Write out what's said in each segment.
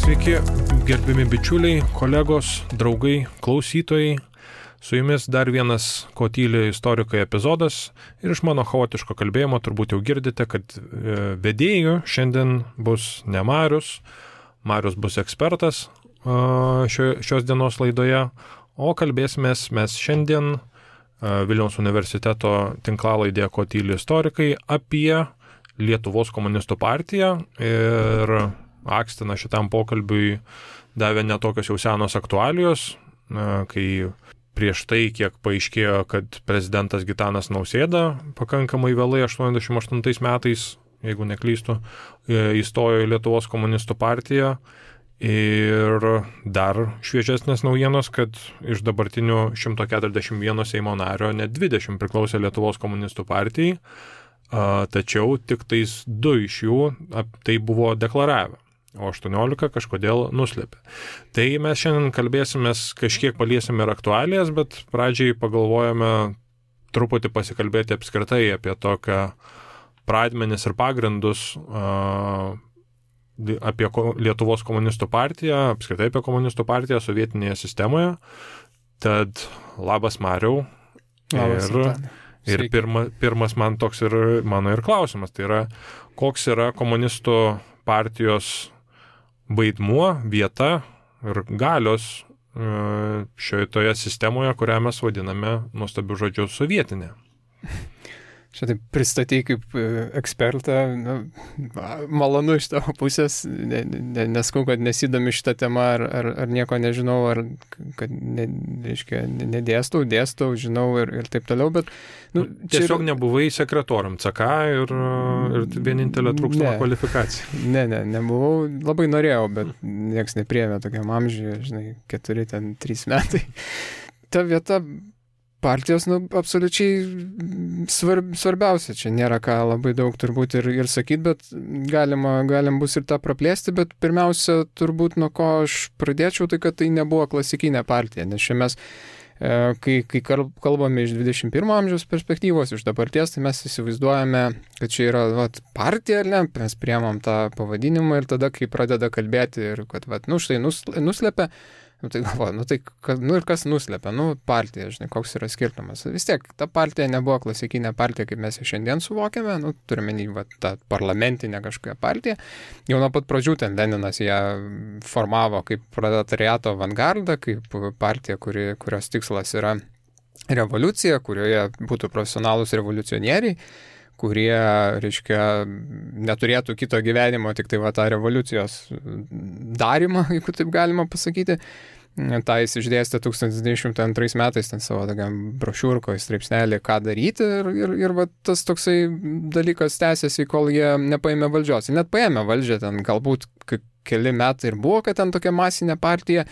Sveiki, gerbiami bičiuliai, kolegos, draugai, klausytojai. Su jumis dar vienas Ko tyli istorikai epizodas ir iš mano chaotiško kalbėjimo turbūt jau girdite, kad vedėjų šiandien bus ne Marius. Marius bus ekspertas šios dienos laidoje, o kalbėsimės mes šiandien Vilniaus universiteto tinklalaidėje Ko tyli istorikai apie Lietuvos komunistų partiją ir akstiną šitam pokalbiui davė netokios jau senos aktualijos, kai prieš tai, kiek paaiškėjo, kad prezidentas Gitanas Nausėda pakankamai vėlai 88 metais, jeigu neklystu, įstojo į Lietuvos komunistų partiją. Ir dar šviežesnės naujienos, kad iš dabartinių 141 Seimo nario net 20 priklausė Lietuvos komunistų partijai, tačiau tik tais 2 iš jų tai buvo deklaravę, o 18 kažkodėl nuslėpė. Tai mes šiandien kalbėsimės, kažkiek paliesim ir aktualijas, bet pradžiai pagalvojame truputį pasikalbėti apskritai apie tokią pradmenis ir pagrindus apie Lietuvos komunistų partiją, apskritai apie komunistų partiją sovietinėje sistemoje. Tad labas Mariau. Ir pirmas man toks ir mano ir klausimas, tai yra, koks yra komunistų partijos vaidmuo, vieta ir galios šioje sistemoje, kurią mes vadiname nuostabiu žodžiu sovietinė. Čia taip pristatei kaip ekspertą, malonu iš tavo pusės, neskau, kad nesidomi šitą temą, ar nieko nežinau, ar kad dėstau, žinau ir taip toliau, bet... Tiesiog nebuvai sekretorium CK ir vienintelė trūkstama kvalifikacija. Nebuvau, labai norėjau, bet nieks nepriėmė tokiam amžiui, 4-3 metai. Ta vieta partijos, absoliučiai svarbiausia. Čia nėra ką labai daug turbūt ir sakyti, bet galim bus ir tą praplėsti, bet pirmiausia, turbūt nuo ko aš pradėčiau, tai kad tai nebuvo klasikinė partija, nes čia mes, kai kalbame iš 21 amžiaus perspektyvos, iš dabarties, tai mes įsivaizduojame, kad čia yra partija, ar ne, mes priemam tą pavadinimą ir tada, kai pradeda kalbėti ir kad, štai nuslėpia, tai galvoju, ir kas nuslėpia, partija, koks yra skirtumas. Vis tiek, ta partija nebuvo klasikinė partija, kaip mes šiandien suvokiame, turime tą parlamentinę kažkokią partiją. Jau nuo pat pradžių ten Leninas ją formavo kaip proletariato avangardą, kaip partija, kurios tikslas yra revoliucija, kurioje būtų profesionalūs revoliucionieriai, kurie, neturėtų kito gyvenimo, tik tai tą revoliucijos darymą, jeigu taip galima pasakyti. Tai jis išdėstė 1902 metais ten savo tokiam brošiūrkoje straipsnelį, ką daryti ir tas toksai dalykas tęsiasi, kol jie nepaėmė valdžios. Ir net paėmė valdžią, ten galbūt keli metai ir buvo, kad ten tokia masinė partija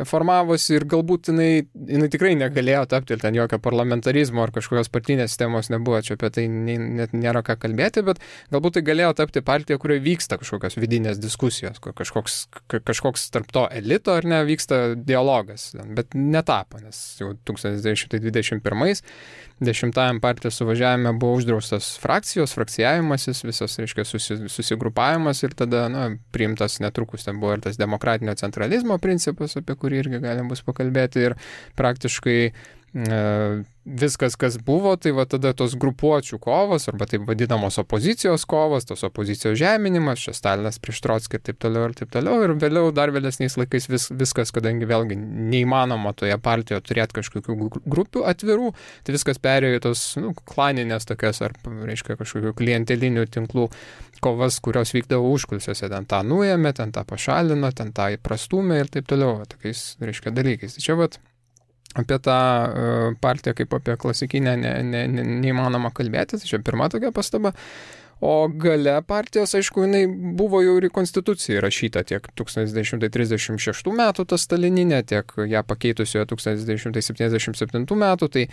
formavosi ir galbūt jinai tikrai negalėjo tapti ir ten jokio parlamentarizmo ar kažkokios partinės sistemos nebuvo, čia apie tai net nėra ką kalbėti, bet galbūt tai galėjo tapti partija, kurioje vyksta kažkokios vidinės diskusijos, kažkoks tarp to elito ar ne vyksta dialogas, bet netapo, nes jau 1921 10-ajam partijos suvažiavime buvo uždraustas frakcijavimasis, visas, susigrupavimas ir tada, priimtas netrukus, ten buvo ir tas demokratinio centralizmo principas, apie kurį irgi galim bus pakalbėti ir praktiškai viskas, kas buvo, tai tada tos grupuočių kovos, arba taip vadinamos opozicijos kovos, tos opozicijos žeminimas, čia Stalinas prieš Trockį ir taip toliau, ir vėliau, dar vėlesniais laikais viskas, kadangi vėlgi neįmanoma toje partijoje turėti kažkokių grupių atvirų, tai viskas perėjo į tos klaninės tokias, ar kažkokių klientelinių tinklų kovas, kurios vykdavo užkulisiuose, ten tą nuėmė, ten tą pašalino, ten tą įprastumė ir taip toliau, tokiais, dalykais. Tai čia apie tą partiją kaip apie klasikinę neįmanoma kalbėti, tai čia pirma tokia pastaba. O gale partijos, aišku, jinai buvo jau ir į konstituciją įrašyta tiek 1936 metų ta stalininė, tiek ją pakeitusioje 1977 metų, tai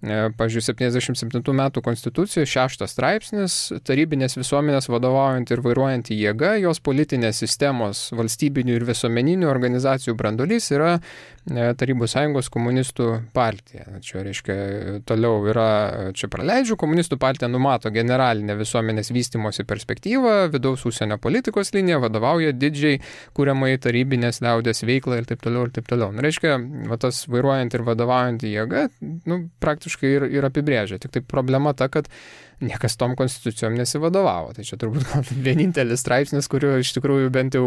Pavyzdžiui, 77 metų konstitucijos 6 straipsnis, tarybinės visuomenės vadovaujant ir vairuojant į jėgą, jos politinės sistemos valstybinių ir visuomeninių organizacijų brandolys yra Tarybų sąjungos komunistų partija. Čia reiškia, toliau yra, čia praleidžiu, komunistų partija numato generalinę visuomenės vystymosi perspektyvą, vidaus užsienio politikos liniją, vadovauja didžiai kuriamai tarybinės liaudės veiklą ir taip toliau ir taip toliau. Reiškia, tas vairuojant ir vadovaujant į jėgą, praktiškai ir apibrėžia. Tik tai problema ta, kad niekas tom konstitucijom nesivadovavo. Tai čia turbūt vienintelis straipsnis, kurio iš tikrųjų bent jau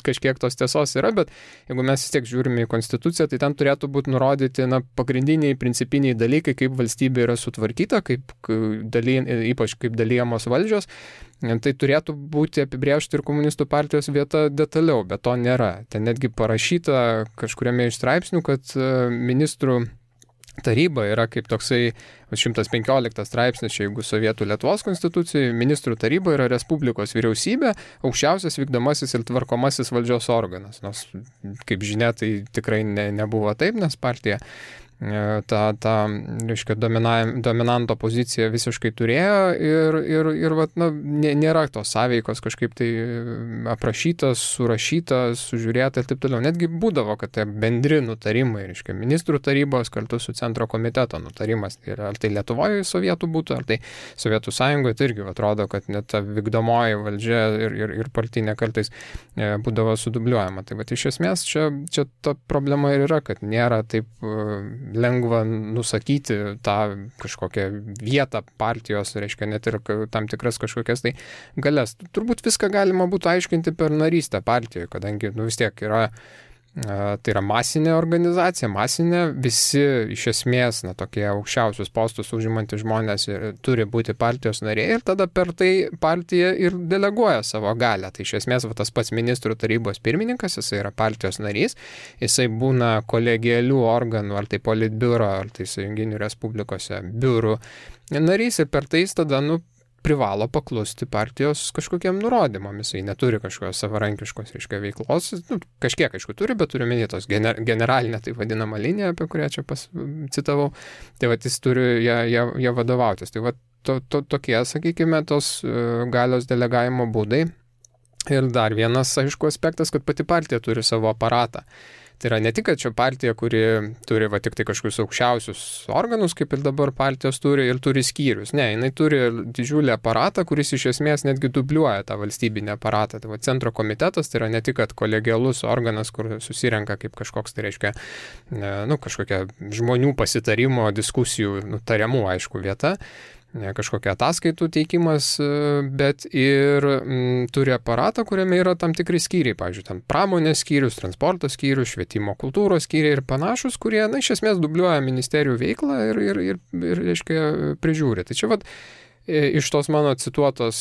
kažkiek tos tiesos yra, bet jeigu mes vis tiek žiūrime į konstituciją, tai ten turėtų būti nurodyti pagrindiniai, principiniai dalykai, kaip valstybė yra sutvarkyta, ypač kaip dalyjamos valdžios. Tai turėtų būti apibrėžta ir komunistų partijos vieta detaliau, bet to nėra. Ten netgi parašyta kažkuriame iš straipsnių, kad ministrų taryba yra kaip toksai 115 straipsnis, jeigu Sovietų Lietuvos konstitucijai, ministrų taryba yra Respublikos vyriausybė, aukščiausias vykdomasis ir tvarkomasis valdžios organas. Nors, kaip žinia, tai tikrai nebuvo taip, nes partija reiškia, dominanto poziciją visiškai turėjo ir nėra tos sąveikos kažkaip tai aprašytas, surašytas, sužiūrėta ir taip toliau. Netgi būdavo, kad tai bendri nutarimai, reiškia, ministrų tarybos kartu su centro komiteto nutarimas. Ar tai Lietuvoje sovietų būtų, ar tai Sovietų sąjungoje, tai irgi atrodo, kad net ta vykdomoji valdžia ir partinė kartais būdavo sudubliuojama. Tai iš esmės čia ta problema ir yra, kad nėra taip lengva nusakyti tą kažkokią vietą partijos, reiškia, net ir tam tikras kažkokias tai galias. Turbūt viską galima būtų aiškinti per narystę partijoje, kadangi vis tiek yra tai yra masinė organizacija, visi iš esmės tokie aukščiausius postus užimantys žmonės turi būti partijos nariai ir tada per tai partija ir deleguoja savo galią. Tai iš esmės tas pats ministrų tarybos pirmininkas, jisai yra partijos narys, jisai būna kolegialių organų, ar tai politbiuro, ar tai sąjunginių respublikose biurų narys ir per tai jis tada privalo paklusti partijos kažkokiem nurodymam. Jisai neturi kažkokios savarankiškos, reiškia, veiklos. Kažkiek, aišku, turi, bet turi minėtos generalinę, tai vadinamą liniją, apie kurią čia citavau. Tai jis turi ją vadovautis. Tai tokie, sakykime, tos galios delegavimo būdai. Ir dar vienas, aišku, aspektas, kad pati partija turi savo aparatą. Tai yra ne tik, kad čia partija, kuri turi tik tai kažkokius aukščiausius organus, kaip ir dabar partijos turi, ir turi skyrius. Ne, jinai turi didžiulį aparatą, kuris iš esmės netgi dubliuoja tą valstybinį aparatą. Tai centro komitetas tai yra ne tik, kad kolegialus organas, kur susirenka kaip kažkoks, tai reiškia, kažkokia žmonių pasitarimo, diskusijų, tariamų, aišku, vieta, kažkokia ataskaitų teikimas, bet ir turi aparatą, kuriame yra tam tikri skyriai, pavyzdžiui, ten pramonės skyrius, transporto skyrius, švietimo kultūros skyriai ir panašus, kurie, iš esmės dubliuoja ministerijų veiklą ir reiškia, prižiūri. Tai čia iš tos mano cituotos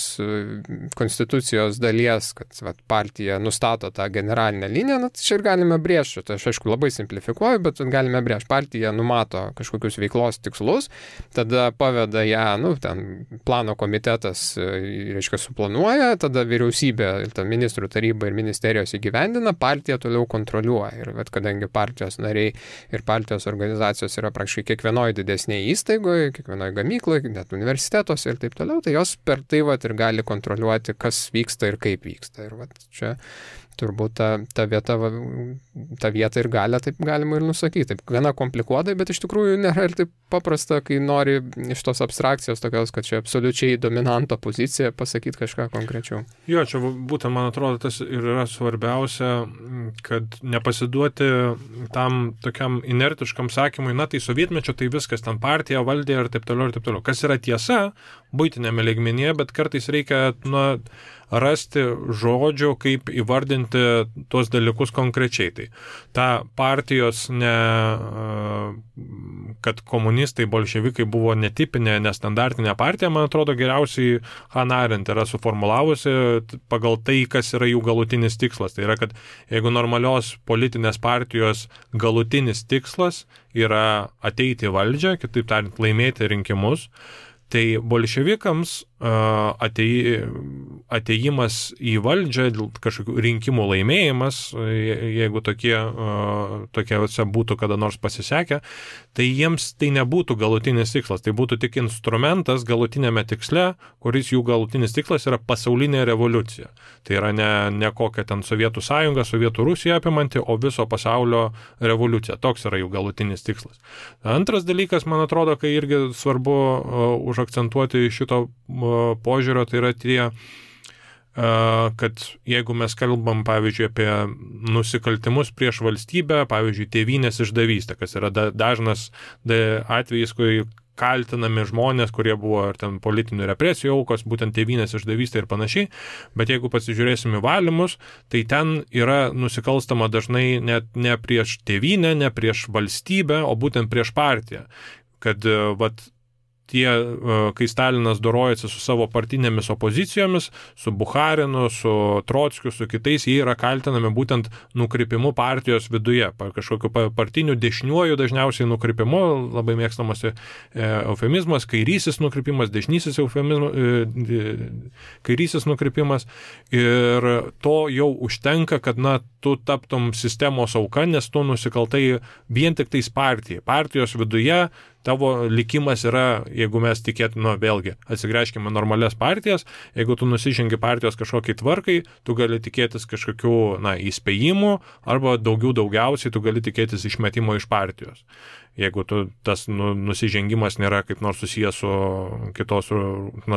konstitucijos dalies, kad partija nustato tą generalinę liniją, čia ir galime brėžti, tai aš aišku labai simplifikuoju, bet galime brėžti, partija numato kažkokius veiklos tikslus, tada paveda ją, ten plano komitetas, reiškia, suplanuoja, tada vyriausybė, ministrų taryba ir ministerijos įgyvendina, partija toliau kontroliuoja. Ir kadangi partijos nariai ir partijos organizacijos yra praktiškai kiekvienoje didesnėje įstaigoje, kiekvienoje gamykloje, net universitetuose ir taip toliau, tai jos per tai ir gali kontroliuoti, kas vyksta ir kaip vyksta. Ir čia turbūt ta vieta ir galia, taip galima ir nusakyti. Taip gana komplikuotai, bet iš tikrųjų nėra ir taip paprasta, kai nori iš tos abstrakcijos tokios, kad čia absoliučiai dominanto pozicija pasakyti kažką konkrečiau. Jo, čia būtent, man atrodo, tas ir yra svarbiausia, kad nepasiduoti tam tokiam inertiškam sakymui, tai sovietmečio, tai viskas, ten partija valdė ir taip toliau ir taip toliau. Kas yra tiesa, buitinėme lygmenyje, bet kartais reikia, rasti žodžių, kaip įvardinti tuos dalykus konkrečiai. Tai ta partijos, kad komunistai, bolševikai buvo netipinė, nestandartinė partija, man atrodo, geriausiai Hannah Arendt yra suformulavusi pagal tai, kas yra jų galutinis tikslas. Tai yra, kad jeigu normalios politinės partijos galutinis tikslas yra ateiti į valdžią, kitaip tariant, laimėti rinkimus, tai bolševikams ateimas į valdžią, kažkokių rinkimų laimėjimas, jeigu tokiuose būtų kada nors pasisekę, tai jiems tai nebūtų galutinis tikslas, tai būtų tik instrumentas galutinėme tiksle, kuris jų galutinis tikslas yra pasaulinė revoliucija. Tai yra ne kokia ten Sovietų sąjunga, Sovietų Rusija apimanti, o viso pasaulio revoliucija. Toks yra jų galutinis tikslas. Antras dalykas, man atrodo, kai irgi svarbu užakcentuoti šito požiūrio, tai yra kad jeigu mes kalbam, pavyzdžiui, apie nusikaltimus prieš valstybę, pavyzdžiui, tėvynės išdavystę, kas yra dažnas atvejis, kai kaltinami žmonės, kurie buvo ar ten politinių represijų aukos, būtent tėvynės išdavystė ir panašiai, bet jeigu pasižiūrėsim į valymus, tai ten yra nusikalstama dažnai net ne prieš tėvynę, ne prieš valstybę, o būtent prieš partiją. Kad kai Stalinas dorojasi su savo partinėmis opozicijomis, su Bucharinu, su Trotskiu, su kitais, jie yra kaltinami būtent nukrypimu partijos viduje, kažkokiu partiniu dešiniuoju dažniausiai nukrypimu, labai mėgstamas eufemizmas, kairysis nukrypimas, dešinysis kairysis nukrypimas, ir to jau užtenka, kad tu taptum sistemos auka, nes tu nusikaltai vien tik tais partijos viduje. Tavo likimas yra, jeigu mes tikėtume, vėlgi, atsigręžkime normalias partijas, jeigu tu nusižengi partijos kažkokiai tvarkai, tu gali tikėtis kažkokių, įspėjimų, arba daugiausiai tu gali tikėtis išmetimo iš partijos. Jeigu tas nusižengimas nėra kaip nors susijęs su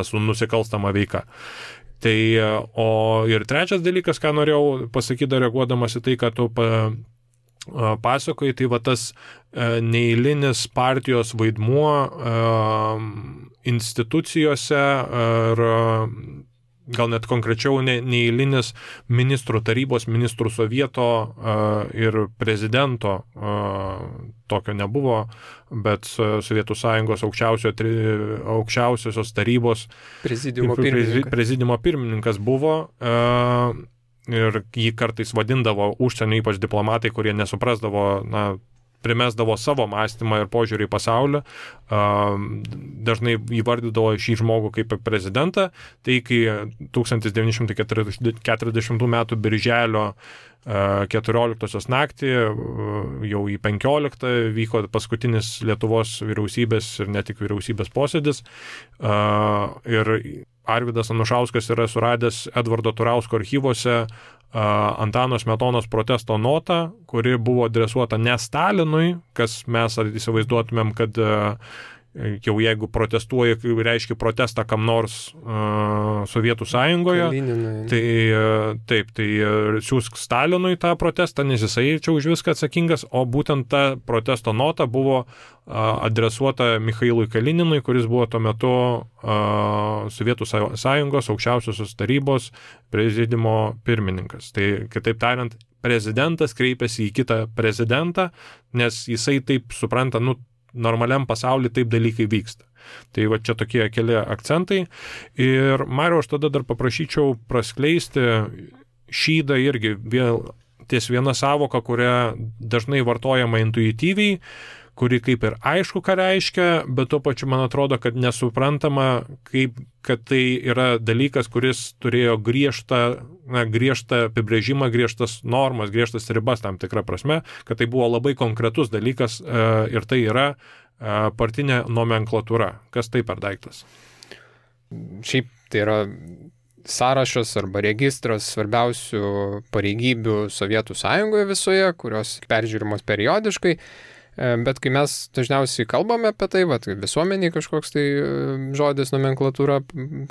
su nusikalstama veika. Tai, ir trečias dalykas, ką norėjau pasakyti, reaguodamas į tai, kad tu pasakoji, tai tas neeilinis partijos vaidmuo institucijose ir gal net konkrečiau neeilinis ministrų tarybos, ministrų sovieto ir prezidento, tokio nebuvo, bet Sovietų sąjungos aukščiausiosios tarybos prezidiumo pirmininkas buvo. Ir jį kartais vadindavo užsienio, ypač diplomatai, kurie nesuprasdavo, primesdavo savo mąstymą ir požiūrį į pasaulį, dažnai įvardydavo šį žmogų kaip prezidentą. Tai kai 1940 metų birželio 14 naktį, jau į 15 vyko paskutinis Lietuvos vyriausybės ir ne tik vyriausybės posėdis, ir Arvydas Anušauskas yra suradęs Edvardo Turausko archyvuose Antano Smetonos protesto notą, kuri buvo adresuota ne Stalinui, kas mes įsivaizduotumėm, kad jau jeigu protestuoja, reiškia protestą kam nors Sovietų sąjungoje, tai siūsk Stalinui tą protestą, nes jisai čia už viską atsakingas, o būtent ta protesto nota buvo adresuota Michailui Kalininui, kuris buvo tuo metu Sovietų sąjungos aukščiausiosios tarybos prezidiumo pirmininkas. Tai, kitaip tariant, prezidentas kreipiasi į kitą prezidentą, nes jisai taip supranta, normaliam pasaulyje taip dalykai vyksta. Tai čia tokie keli akcentai. Ir Mariau, aš tada dar paprašyčiau praskleisti šydą irgi ties viena savoka, kurią dažnai vartojama intuityviai, kuri kaip ir aišku, ką reiškia, bet tuo pačiu man atrodo, kad nesuprantama, kad tai yra dalykas, kuris turėjo griežtą apibrėžimą, griežtas normas, griežtas ribas tam tikrą prasme, kad tai buvo labai konkretus dalykas, ir tai yra partinė nomenklatūra. Kas tai per daiktas? Šiaip tai yra sąrašas arba registras svarbiausių pareigybių Sovietų sąjungoje visoje, kurios peržiūrimos periodiškai. Bet kai mes dažniausiai kalbame apie tai, visuomeniai kažkoks tai žodis nomenklatūra,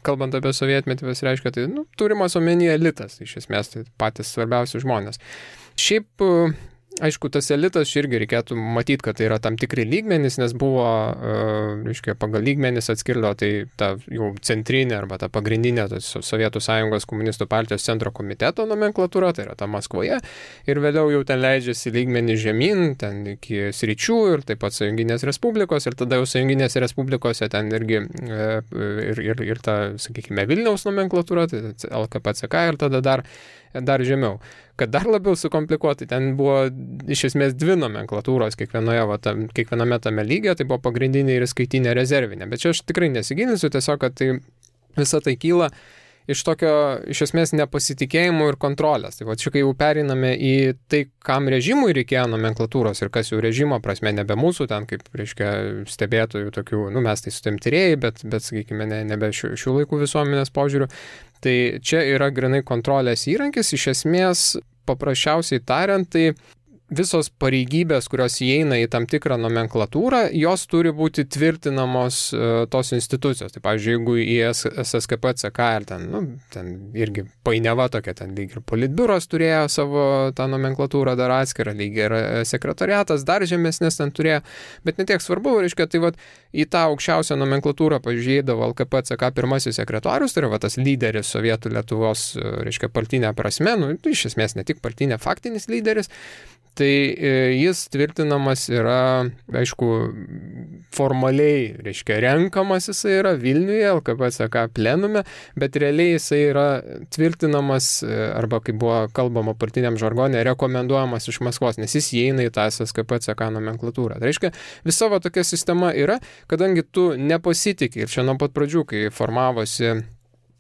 kalbant apie sovietmetį, reiškia, tai turimas omenyje elitas, iš esmės tai patys svarbiausi žmonės. Šiaip, aišku, tas elitas irgi reikėtų matyti, kad tai yra tam tikri lygmenys, nes buvo, reiškia, pagal lygmenys atskirdo tai ta jau centrinė arba ta pagrindinė Sovietų sąjungos komunistų partijos centro komiteto nomenklatūra, tai yra ta Maskvoje, ir vėliau jau ten leidžiasi lygmenį žemyn, ten iki sričių ir taip pat Sąjunginės Respublikos, ir tada jau Sąjunginės Respublikose ten irgi ir ta, sakykime, Vilniaus nomenklatūra, tai LKPCK, ir tada dar žemiau. Kad dar labiau sukomplikuoti, ten buvo iš esmės dvi nomenklatūros kiekviename tame lygyje, tai buvo pagrindinė ir skaitinė rezervinė. Bet čia aš tikrai nesigilinsiu, tiesiog, kad tai visa tai kyla iš tokio, iš esmės, nepasitikėjimo ir kontrolės. Tai va, čia kai jau pereiname į tai, kam režimui reikėjo nomenklatūros ir kas jau režimo prasme nebe mūsų, ten kaip, reiškia, stebėtojų tokių, mes tai su tiem tyrėjai, bet sakykime, nebe šių laikų visuomenės požiūrių. Tai čia yra grinai kontrolės įrankis, iš esmės, paprasčiausiai tariant, tai visos pareigybės, kurios įeina į tam tikrą nomenklatūrą, jos turi būti tvirtinamos tos institucijos. Tai, pavyzdžiui, jeigu į SSKP, CK ir ten irgi painiava tokia, ten lyg ir politbiuras turėjo savo tą nomenklatūrą dar atskirą, lyg ir sekretariatas dar žemesnės ten turėjo, bet netiek svarbu, reiškia, tai vat, į tą aukščiausią nomenklatūrą pažiūrėdavo LKP, CK pirmasis sekretorius, tai yra tas lyderis Sovietų Lietuvos, reiškia, partinė prasme, iš esmės ne tik partinė, faktinis lyderis. Tai jis tvirtinamas yra, aišku, formaliai, reiškia, renkamas jisai yra Vilniuje, LKP CK plenume, bet realiai jisai yra tvirtinamas, arba kaip buvo kalbama partiniam žargone, rekomenduojamas iš Maskvos, nes jis įeina į tą SSKP CK nomenklatūrą. Tai reiškia, visa tokia sistema yra, kadangi tu nepasitikė ir čia nuo pat pradžių, kai formavosi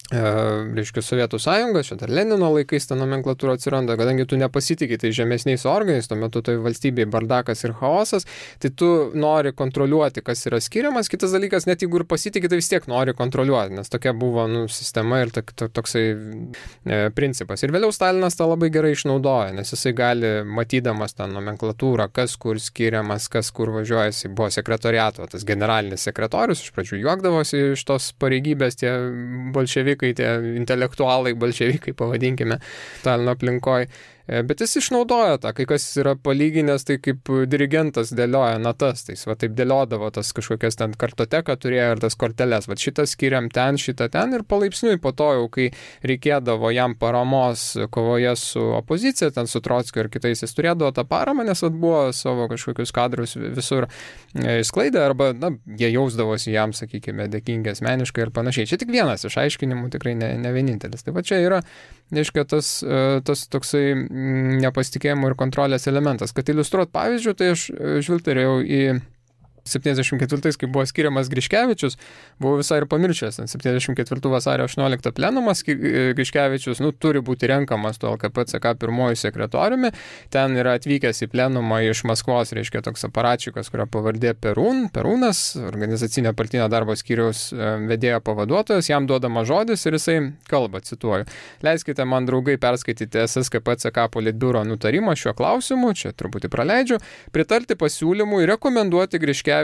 reiškia Sovietų sąjunga, čia dar Lenino laikais ta nomenklatūra atsiranda, kadangi tu nepasitikė tai žemesniais organiais, tuo metu tai valstybėje bardakas ir chaosas, tai tu nori kontroliuoti, kas yra skiriamas. Kitas dalykas, net jeigu ir pasitikė, tai vis tiek nori kontroliuoti, nes tokia buvo sistema ir toksai principas. Ir vėliau Stalinas tą labai gerai išnaudoja, nes jisai gali, matydamas tą nomenklatūrą, kas kur skiriamas, kas kur važiuojasi, buvo sekretoriato, tas generalinis sekretorius, iš pradžių juokdavosi iš tos pareigybės tie bolševikai, tie intelektualai, bolševikai, pavadinkime, Stalino aplinkoje. Bet jis išnaudoja tą, kai kas yra palyginęs, tai kaip dirigentas dėlioja natas, tai jis va taip dėliodavo tas kažkokias ten kartoteką turėjo ir tas korteles, va šitą skiriam ten, šitą ten ir palaipsniui po to jau, kai reikėdavo jam paramos kovoje su opozicija, ten su Trotskiu ir kitais, jis turėdavo tą paramą, nes buvo savo kažkokius kadrus visur išsklaidę, arba jie jausdavosi jam, sakykime, dėkingi asmeniškai ir panašiai. Čia tik vienas iš aiškinimų, tikrai ne vienintelis. Tai va čia yra, reiškia, tas toksai nepasitikėjimo ir kontrolės elementas. Kad iliustruot pavyzdžių, tai aš žvilgterėjau į 74, kai buvo skiriamas Griškevičius, buvo visai ir pamiršęs. 74 vasario 18 plenumas Griškevičius turi būti renkamas to LKP CK pirmojų sekretoriumi. Ten yra atvykęs į plenumą iš Maskvos, reiškia toks aparačikas, kurio pavardė Perūnas, organizacinio partinio darbo skyriaus vedėjo pavaduotojas, jam duodama žodis ir jisai kalba, cituoju. Leiskite man, draugai, perskaityti SSKP CK politbiuro nutarimą šiuo klausimu, čia truputį praleidžiu, pritarti pasiūlymui rekomenduoti Griškevičių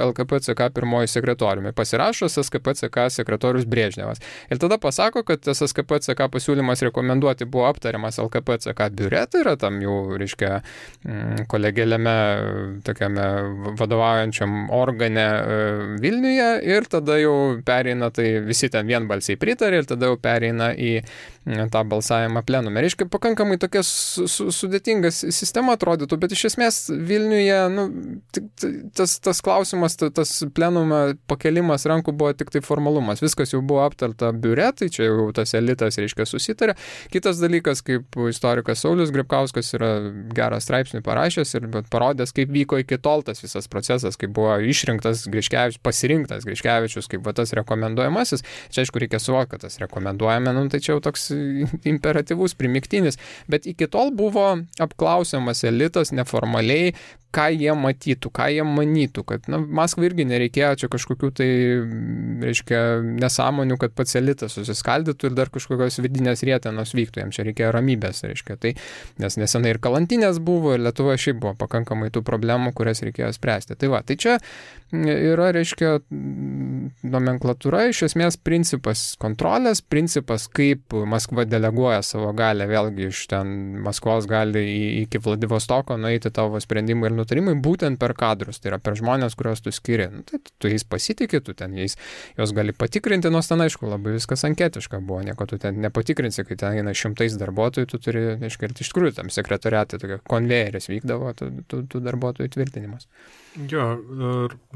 LKP CK pirmoji sekretoriumi. Pasirašo SSKP CK sekretorius Brežnevas. Ir tada pasako, kad SSKP CK pasiūlymas rekomenduoti buvo aptariamas LKP CK biure, tai yra tam jau, reiškia, kolegėliame, tokiame vadovaujančiam organe Vilniuje, ir tada jau pereina, tai visi ten vienbalsiai pritarė, ir tada jau pereina į tą balsavimą plenume. Reiškia, pakankamai tokia sudėtinga sistema atrodytų, bet iš esmės Vilniuje, tas klausimas, tas plenume pakelimas rankų buvo tik tai formalumas. Viskas jau buvo aptarta biure, tai čia jau tas elitas, reiškia, susitarė. Kitas dalykas, kaip istorikas Saulius Gripkauskas yra gerą straipsnį parašęs ir parodęs, kaip vyko iki tol tas visas procesas, kaip buvo išrinktas Griškevičius, pasirinktas Griškevičius kaip tas rekomenduojamasis. Čia, aišku, reikia suvokti, kad tas rekomenduojame, tai čia jau toks imperatyvus, primiktinis, bet iki tol buvo apklausiamas elitas neformaliai, ką jie matytų, ką jie manytų, kad Maskvai irgi nereikėjo čia kažkokių tai, reiškia, nesąmonių, kad pats elitas susiskaldytų ir dar kažkokios vidinės rietenos vyktų, jam čia reikėjo ramybės, reiškia, tai, nes nesenai ir kalantinės buvo, ir Lietuvoje šiaip buvo pakankamai tų problemų, kurias reikėjo spręsti. Tai va, tai čia yra, reiškia, nomenklatūra, iš esmės principas kontrolės, principas, kaip Maskva deleguoja savo galę, vėlgi iš ten Maskvos gali iki Vladivostoko nueiti tavo sprendimai ir nutarimai būtent per kadrus, tai yra per žmonės, kuriuos tu skiri. Tai tu jais pasitikė, tu ten juos gali patikrinti, nors ten, aišku, labai viskas anketiška buvo, nieko tu ten nepatikrinsi, kai ten eina 100 darbuotojų, tu turi, aišku, iš tikrųjų tam sekretoriate tokia konvejeris vykdavo, tų darbuotojų tvirtinimas. Jo,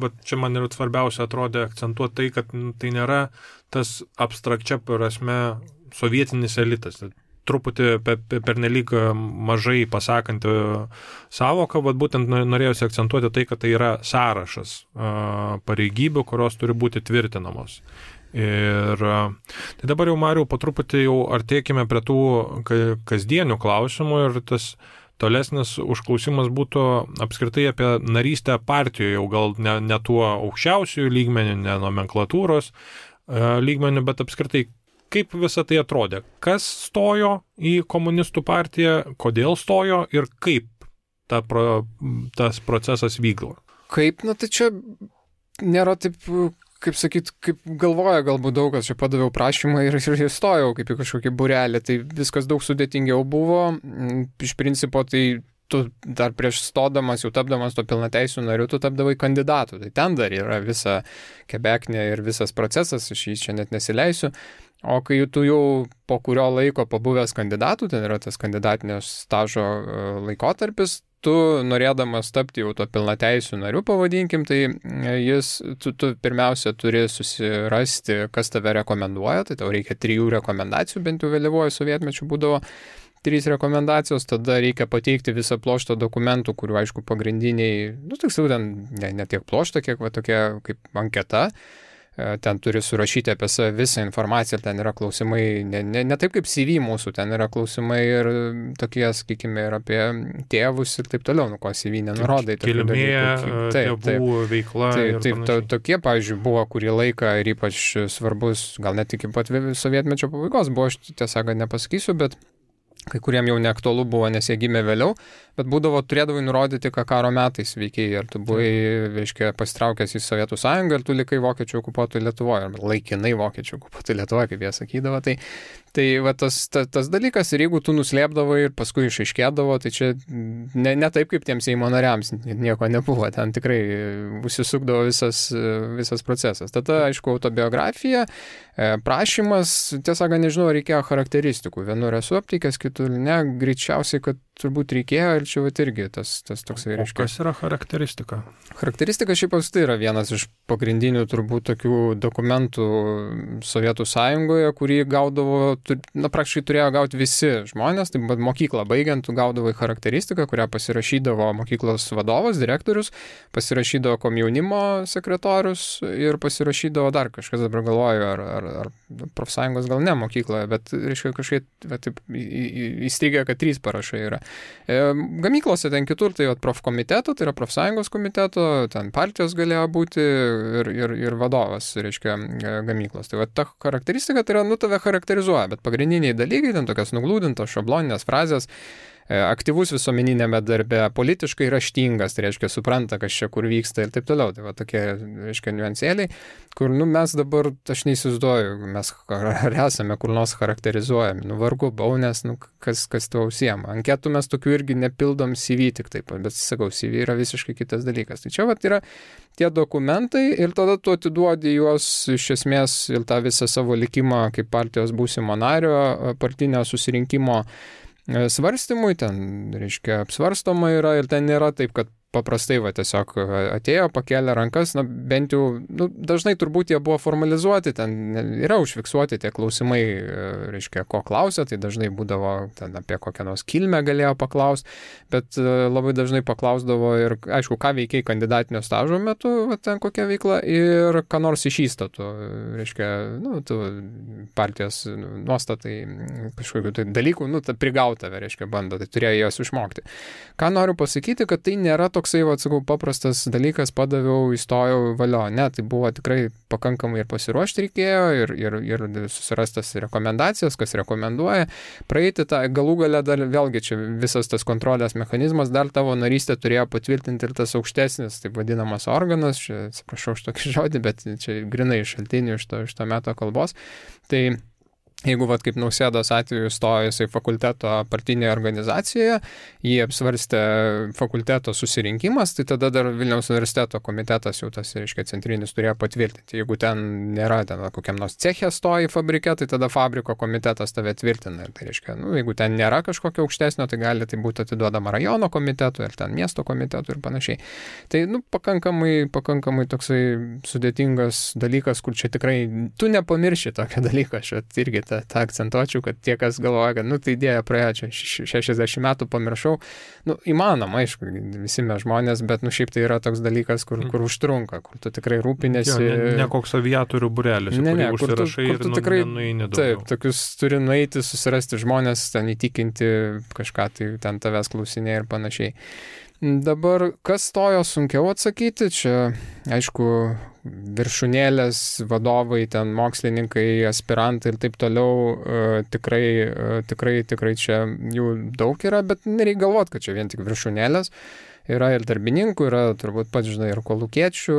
bet čia man ir svarbiausia atrodė akcentuoti tai, kad tai nėra tas abstrakčia prasme sovietinis elitas. Truputį pernelyg mažai pasakanti savoką, bet būtent norėjusi akcentuoti tai, kad tai yra sąrašas pareigybių, kurios turi būti tvirtinamos. Ir tai dabar jau, Mariau, po truputį jau artėkime prie tų kasdienių klausimų ir tas tolesnis užklausimas būtų apskritai apie narystę partijoje, jau gal ne tuo aukščiausiųjų lygmenių, ne nomenklatūros lygmenių, bet apskritai, kaip visą tai atrodė, kas stojo į komunistų partiją, kodėl stojo ir kaip tas procesas vyko. Kaip, tai čia nėra taip, kaip sakyt, kaip galvoja galbūt daug kas, čia padaviau prašymą ir įstojau kaip į kažkokį būrelį, tai viskas daug sudėtingiau buvo, iš principo tai tu dar prieš stodamas, jau tapdamas to pilnateisių narių, tu tapdavai kandidatu, tai ten dar yra visa kebeknė ir visas procesas, aš jį čia net nesileisiu, o kai tu jau po kurio laiko pabuvęs kandidatų, ten yra tas kandidatinio stažo laikotarpis, tu norėdamas tapti jau to pilnateisių narių, pavadinkim, tai tu pirmiausia turi susirasti, kas tave rekomenduoja, tai tau reikia 3 rekomendacijų, bent jau vėlyvojo sovietmečių būdavo 3 rekomendacijos, tada reikia pateikti visą ploštą dokumentų, kurių, aišku, pagrindiniai, tiksliau, ten ne tiek ploštą, kiek tokia kaip anketa. Ten turi surašyti apie save visą informaciją, ten yra klausimai, ne taip kaip CV mūsų, ten yra klausimai ir tokie, sakykime, ir apie tėvus ir taip toliau, ko CV nenurodai. Kilmė, tėvų veikla. Taip, tokie, pavyzdžiui, buvo kurį laiką ir ypač svarbus, gal net iki pat sovietmečio pabaigos buvo, aš tiesą nepasakysiu, bet kai kuriem jau neaktualu buvo, nes jie gimė vėliau, bet turėdavai nurodyti, ką karo metais veikiai, ar tu buvai, reiškia, pasitraukęs į Sovietų sąjungą, ar tu likai vokiečių okupuotų Lietuvoje, ar laikinai vokiečių okupuotų Lietuvoje, kaip jie sakydavo. Tai va tas dalykas, ir jeigu tu nuslėpdavai ir paskui išaiškėdavo, tai čia ne taip kaip tiems Seimo nariams, nieko nebuvo, ten tikrai užsisukdavo visas procesas. Tada, aišku, autobiografija, prašymas, tiesą nežinau, reikėjo charakteristikų. Vienur esu aptikęs, kitur ne, greičiausiai, kad turbūt reikėjo ir čia irgi tas toksai reiškia. Kas yra charakteristika? Charakteristika šiaip tai yra vienas iš pagrindinių turbūt tokių dokumentų Sovietų sąjungoje, kurį gaudavo, praktiškai turėjo gauti visi žmonės, tai mokyklą baigiant, tu gaudavai charakteristiką, kurią pasirašydavo mokyklos vadovas, direktorius, pasirašydavo komjaunimo sekretorius ir pasirašydavo dar kažkas, dabar galvoju, ar profsąjungos gal ne mokykloje, bet reiškia kažkaip įstrigė, kad 3 parašai yra. Gamyklose ten kitur, tai profkomiteto, tai yra profsąjungos komiteto, ten partijos galėjo būti ir vadovas, reiškia, gamyklos. Tai ta charakteristika, tai yra, tave charakterizuoja, bet pagrindiniai dalykai, ten tokios nuglūdintos šabloninės frazės, aktyvus visuomeninėme darbe, politiškai raštingas, tai reiškia, supranta, kas čia kur vyksta ir taip toliau. Tai tokie, reiškia, niuansėliai, kur, mes dabar, aš neįsivaizduoju, mes ar esame kur nors charakterizuojami, vargu bau, nes, kas tuo užsiema. Anketų mes tokių irgi nepildom CV tik taip, bet, sakau, CV yra visiškai kitas dalykas. Tai čia, yra tie dokumentai ir tada tu atiduodi juos iš esmės ir tą visą savo likimą kaip partijos būsimo nario, partinio susirinkimo svarstymui, ten, reiškia, apsvarstoma yra ir ten nėra taip, kad paprastai tiesiog atėjo, pakėlė rankas, bent jau, dažnai turbūt jie buvo formalizuoti, ten yra užfiksuoti tie klausimai, reiškia, ko klausė, tai dažnai būdavo ten apie kokią nors kilmę galėjo paklausti, bet labai dažnai paklausdavo ir, aišku, ką veikiai kandidatinio stažo metu, ten kokia veikla ir ką nors iš įstatų, reiškia, tu partijos nuostatai kažkokių tai dalykų, prigauta, reiškia, bando, tai turėjo juos išmokti. Ką noriu pasakyti, kad tai nėra toksai, sakau, paprastas dalykas, padaviau, įstojau, valio. Ne, tai buvo tikrai pakankamai ir pasiruošti reikėjo, ir susirastas rekomendacijas, kas rekomenduoja. Praeiti tą galų galę dar, vėlgi, čia visas tas kontrolės mechanizmas, dar tavo narystę turėjo patvirtinti ir tas aukštesnis, taip vadinamas organas, čia, atsiprašau už tokį žodį, bet čia grinai iš šaltinių iš to meto kalbos. Tai jeigu, kaip Nausėdos atveju stojo jisai fakulteto partinėje organizacijoje, jį apsvarstė fakulteto susirinkimas, tai tada dar Vilniaus universiteto komitetas jau tas, reiškia, centrinis turėjo patvirtinti. Jeigu ten nėra, ten kokiam nors cechė stoji fabrike, tai tada fabriko komitetas tave tvirtina. Ir tai reiškia, jeigu ten nėra kažkokio aukštesnio, tai gali tai būti atiduodama rajono komitetui ir ten miesto komitetui ir panašiai. Tai, pakankamai toksai sudėtingas dalykas, kur čia tikrai tu nepamirši tokio dalyko, aš irgi tą akcentuočiau, kad tie, kas galvoja, kad, tai idėja praėjo čia 60 metų, pamiršau, įmanoma, aišku, visi mes žmonės, bet, šiaip tai yra toks dalykas, kur užtrunka, kur tu tikrai rūpinėsi. Ne koks aviatorių būrelis, kur tu tikrai, taip, tokius turi nueiti, susirasti žmonės, ten įtikinti kažką, tai ten tavęs klausinė ir panašiai. Dabar, kas stojo sunkiau atsakyti, čia, aišku, viršūnėlės, vadovai, ten mokslininkai, aspirantai ir taip toliau, tikrai čia jų daug yra, bet nereikia galvoti, kad čia vien tik viršūnėlės. Yra ir darbininkų, yra turbūt pats, žinai, ir kolūkiečių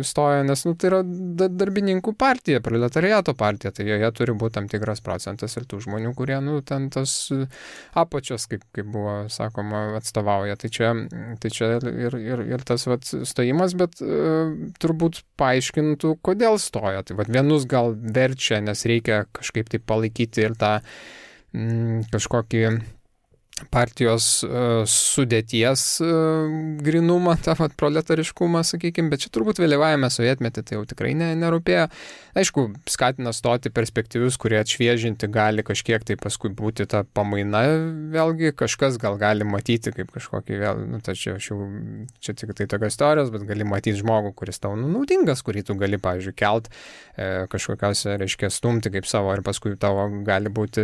stoja, nes, tai yra darbininkų partija, proletariato partija, tai joje turi būti tam tikras procentas ir tų žmonių, kurie, ten tas apačios, kaip buvo sakoma, atstovauja. Tai čia ir tas stojimas, bet turbūt paaiškintų, kodėl stoja. Tai vienus gal verčia, nes reikia kažkaip tai palaikyti ir tą kažkokį partijos sudėties grinumą, tą proletariškumą, sakykime, bet čia turbūt vėlyvajame sovietmetį tai jau tikrai nerūpėjo. Aišku, skatina stoti perspektyvius, kurie atšviežinti gali kažkiek tai paskui būti ta pamaina, vėlgi kažkas gal gali matyti kaip kažkokį vėl, čia tik tai tokios teorijos, bet gali matyti žmogų, kuris tau naudingas, kurį tu gali, pavyzdžiui, kelt kažkokiose, reiškia, stumti kaip savo ir paskui tavo gali būti,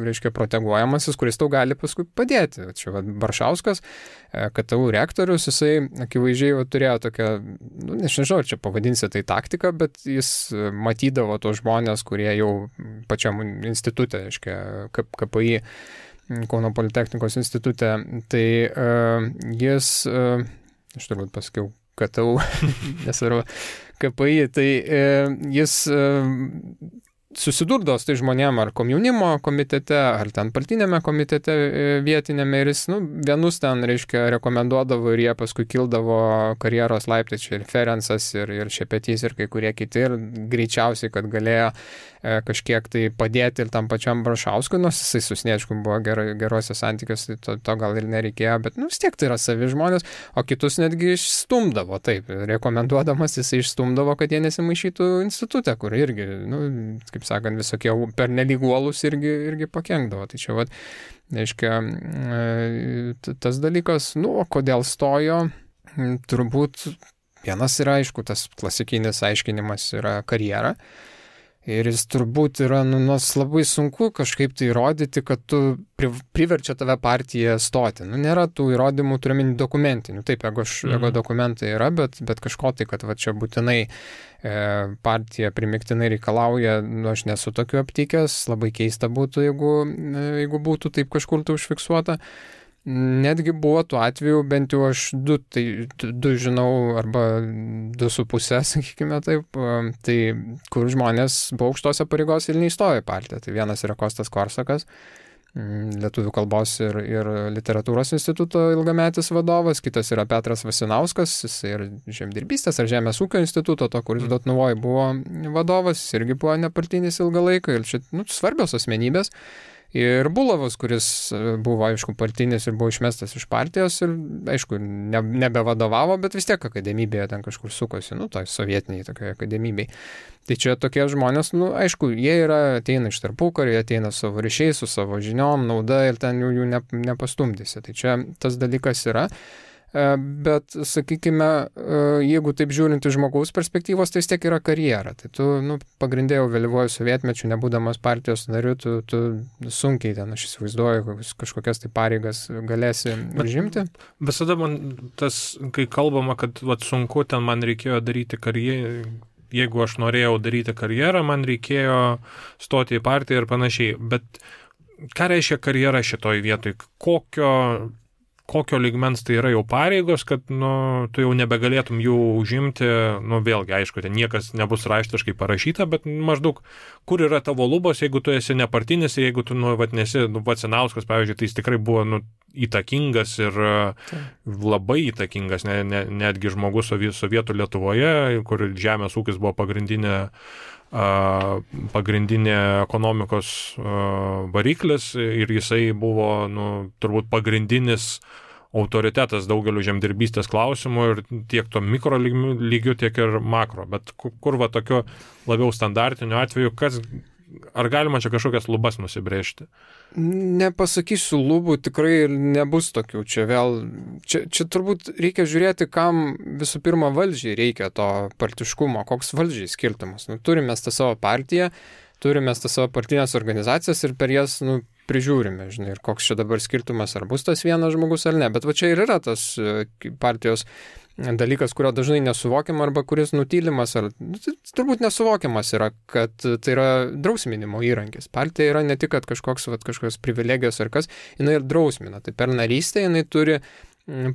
reiškia, proteguojamasis, kuris tau gali paskui padėti. Čia Baršauskas, KTU rektorius, jisai akivaizdžiai turėjo tokią, nežinau, čia pavadinsi tai taktiką, bet jis matydavo tos žmonės, kurie jau pačiam institutė, reiškia, KPI, Kauno Politechnikos institutė, tai jis, aš turbūt pasakiau KTU, nesvarbu, KPI, tai jis susidurdavo su tai žmonėm ar komjaunimo komitete, ar ten partinėme komitete vietinėme ir jis, vienus ten, reiškia, rekomenduodavo ir jie paskui kildavo karjeros laiptai, čia ir Ferencas, ir Šepetys, ir kai kurie kiti, ir greičiausiai, kad galėjo kažkiek tai padėti ir tam pačiam Brašauskui, nors jisai su Sniečkum buvo gerose santykiuose, to gal ir nereikėjo, bet vis tiek tai yra savi žmonės, o kitus netgi išstumdavo, taip, rekomenduodamas jisai išstumdavo, kad jie nesimaišytų institutą, kur irgi, kaip sakant, visokie pernelyg uolūs irgi pakenkdavo. Tai čia, reiškia, tas dalykas, o kodėl stojo, turbūt vienas yra, aišku, tas klasikinis aiškinimas yra karjera. Ir jis turbūt yra, labai sunku kažkaip tai įrodyti, kad tu priverčia tave partiją stoti. Nėra tų įrodymų, turiuomenį dokumentinių. Taip, jeigu dokumentai yra, bet kažko tai, kad čia būtinai partija primiktinai reikalauja, aš nesu tokiu aptikęs, labai keista būtų, jeigu būtų taip kažkur tai užfiksuota. Netgi buvo tų atvejų, bent jau aš du žinau, arba 2,5, sakykime taip, tai kur žmonės buvo aukštose pareigos ir neįstojo į partiją. Tai vienas yra Kostas Korsakas, Lietuvių kalbos ir literatūros instituto ilgametis vadovas, kitas yra Petras Vasinauskas, jis ir žemdirbystės ar žemės ūkio instituto, kuris Dotnuvoj buvo vadovas, jis irgi buvo nepartinis ilgą laiką ir čia svarbios asmenybės. Ir Bulavas, kuris buvo, aišku, partinis ir buvo išmestas iš partijos ir, aišku, nebevadovavo, bet vis tiek akademybėje ten kažkur sukosi, toj sovietiniai tokiai akademybei. Tai čia tokie žmonės, aišku, jie ateina iš tarpukario, jie ateina savo ryšiais, su savo žiniom, nauda ir ten jų nepastumdysi. Tai čia tas dalykas yra. Bet, sakykime, jeigu taip žiūrint iš žmogaus perspektyvos, tai vis tiek yra karjera. Tai tu, pagrindėjau vėlyvuoju sovietmečiu, nebūdamas partijos nariu, tu sunkiai ten, aš įsivaizduoju, kažkokias tai pareigas galėsi užimti. Visada man tas, kai kalbama, kad sunku, ten man reikėjo daryti karjerą, jeigu aš norėjau daryti karjerą, man reikėjo stoti į partiją ir panašiai. Bet ką reiškia karjera šitoj vietoj? Kokio lygmens tai yra jau pareigos, kad tu jau nebegalėtum jų užimti, vėlgi, aišku, ten niekas nebus raštiškai parašyta, bet maždaug, kur yra tavo lubos, jeigu tu esi nepartinis, jeigu tu, nesi, Vasinauskas, pavyzdžiui, tai jis tikrai buvo, įtakingas ir labai įtakingas, netgi žmogus sovietų Lietuvoje, kur žemės ūkis buvo pagrindinė ekonomikos variklis ir jisai buvo, turbūt pagrindinis autoritetas daugeliu žemdirbystės klausimų ir tiek to mikro lygių, tiek ir makro. Bet kur tokiu labiau standartiniu atveju, kas ar galima čia kažkokias lubas nusibrėžti? Nepasakysiu lubų, tikrai nebus tokių. Čia turbūt reikia žiūrėti, kam visų pirma valdžiai reikia to partiškumo, koks valdžiai skirtumas. Turime tą savo partiją, turime tą savo partinės organizacijas ir per jas prižiūrime, žinai, ir koks čia dabar skirtumas, ar bus tas vienas žmogus ar ne. Bet va čia ir yra tas partijos dalykas, kurio dažnai nesuvokiam arba kuris nutylimas, ar turbūt nesuvokiamas yra, kad tai yra drausminimo įrankis. Partija yra ne tik, kad kažkokios privilegijos ar kas, jinai ir drausmina. Tai per narystę jinai turi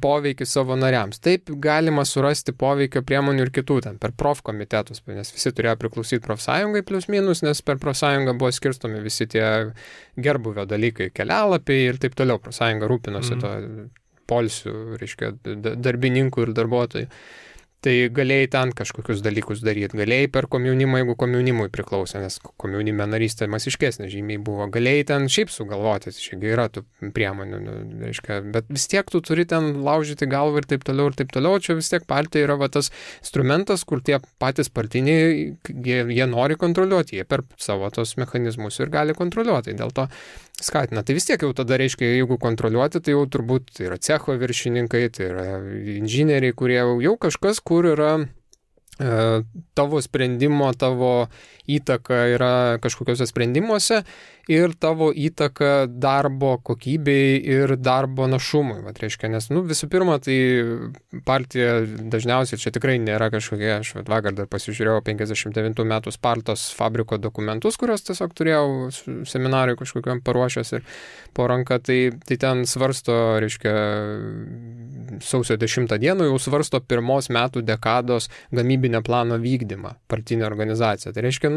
poveikį savo nariams. Taip galima surasti poveikio priemonių ir kitų, ten per profkomitetus, nes visi turėjo priklausyti profsąjungai plius minus, nes per profsąjungą buvo skirstomi visi tie gerbuvio dalykai, kelialapiai ir taip toliau. Profsąjunga rūpinosi to polsių, reiškia, darbininkų ir darbuotojų. Tai galėjai ten kažkokius dalykus daryti, galėjai per komjaunimą, jeigu komjaunimui priklausė, nes komjaunime narystė masiškesnė žymiai buvo, galėjai ten šiaip sugalvoti, šiaip yra tų priemonių, reiškia, bet vis tiek tu turi ten laužyti galvą ir taip toliau, čia vis tiek partija yra tas instrumentas, kur tie patys partiniai, jie nori kontroliuoti, jie per savo tos mechanizmus ir gali kontroliuoti, dėl to skatina. Tai vis tiek jau tada reiškia, jeigu kontroliuoti, tai jau turbūt tai yra cecho viršininkai, tai yra inžinieriai, kurie jau kažkas, kur yra tavo sprendimo, tavo įtaka yra kažkokiuose sprendimuose ir tavo įtaka darbo kokybei ir darbo našumui. Vat reiškia, nes visų pirma, tai partija dažniausiai čia tikrai nėra kažkokie, aš vakar dar pasižiūrėjau 59 metų Spartos fabriko dokumentus, kuriuos tiesiog turėjau seminarai kažkokiam paruošęs ir po ranką, tai ten svarsto, reiškia, sausio 10 dieną jau svarsto pirmos metų dekados gamybinio plano vykdymą partinė organizacija. Tai reiškia,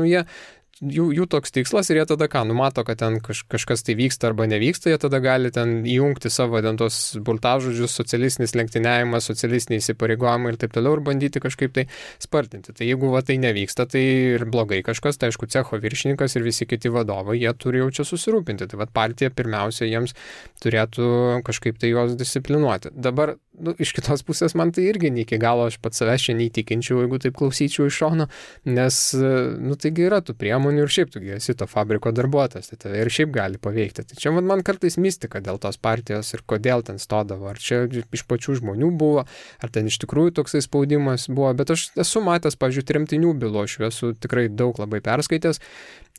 jų toks tikslas ir jie tada numato, kad ten kažkas tai vyksta arba nevyksta, jie tada gali ten įjungti savo tos burtažodžius, socialistinis lenktyniavimas, socialistiniai įsipareigojimai ir taip toliau ir bandyti kažkaip tai spartinti. Tai jeigu tai nevyksta, tai ir blogai kažkas, tai aišku, cecho viršininkas ir visi kiti vadovai, jie turi jau čia susirūpinti. Tai partija pirmiausia jiems turėtų kažkaip tai juos disciplinuoti. Dabar iš kitos pusės man tai irgi ne iki galo, aš pats savęs čia neįtikinčiau, jeigu taip klausyčiau iš šono, nes, taigi yra tų priemonių ir šiaip tu esi to fabriko darbuotojas, tai tave ir šiaip gali paveikti. Tai čia man kartais mistika dėl tos partijos ir kodėl ten stodavo, ar čia iš pačių žmonių buvo, ar ten iš tikrųjų toksai spaudimas buvo, bet aš esu matęs, pavyzdžiui, tremtinių bylų, aš esu tikrai daug labai perskaitęs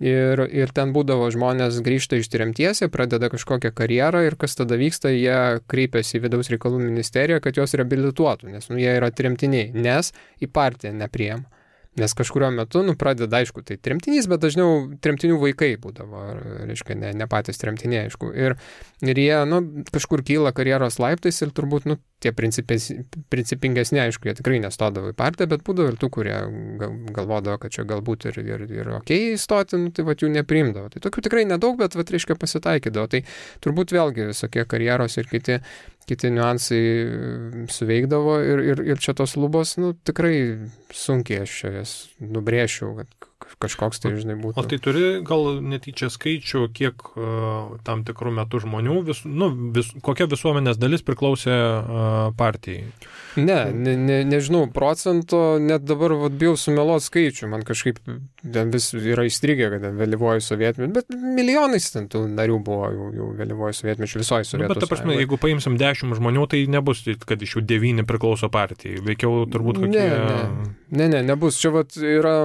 ir ten būdavo žmonės grįžta iš tremties, jie pradeda kažkokią karjerą ir kas tada vyksta, jie kreipiasi į vidaus reikalų ministeriją, kad jos reabilituotų, nes jie yra tremtiniai, nes į partiją nepriima. Nes kažkurio metu, pradeda, aišku, tai tremtinys, bet dažniau tremtinių vaikai būdavo, reiškia, ne patys tremtiniai, aišku. Ir jie, kažkur kyla karjeros laiptais ir turbūt, tie principingesni, aišku, jie tikrai nestodavo į partiją, bet būdavo ir tų, kurie galvodavo, kad čia galbūt ir okei įstoti, tai jų nepriimdavo. Tai tokių tikrai nedaug, bet, reiškia, pasitaikydavo. Tai turbūt vėlgi visokie karjeros ir kiti niuansai suveikdavo ir čia tos lubos, tikrai sunkiai aš jas nubrėšiau, kad kažkoks tai, žinai, būtų. O tai turi gal netyčia skaičių, kiek tam tikrų metų žmonių, kokia visuomenės dalis priklausė partijai? Nežinau procento, net dabar bijau sumeluoti skaičių, man kažkaip ten vis yra įstrigę, kad vėlyvoji sovietmečiu, bet milijonais ten tų narių buvo jau vėlyvoji sovietmečiu visoji Sovietų Bet ta prasme, jeigu paimsim 10 žmonių, tai nebus, kad iš jų 9 priklauso partijai, veikiau turbūt kokie... Nebus. Čia yra,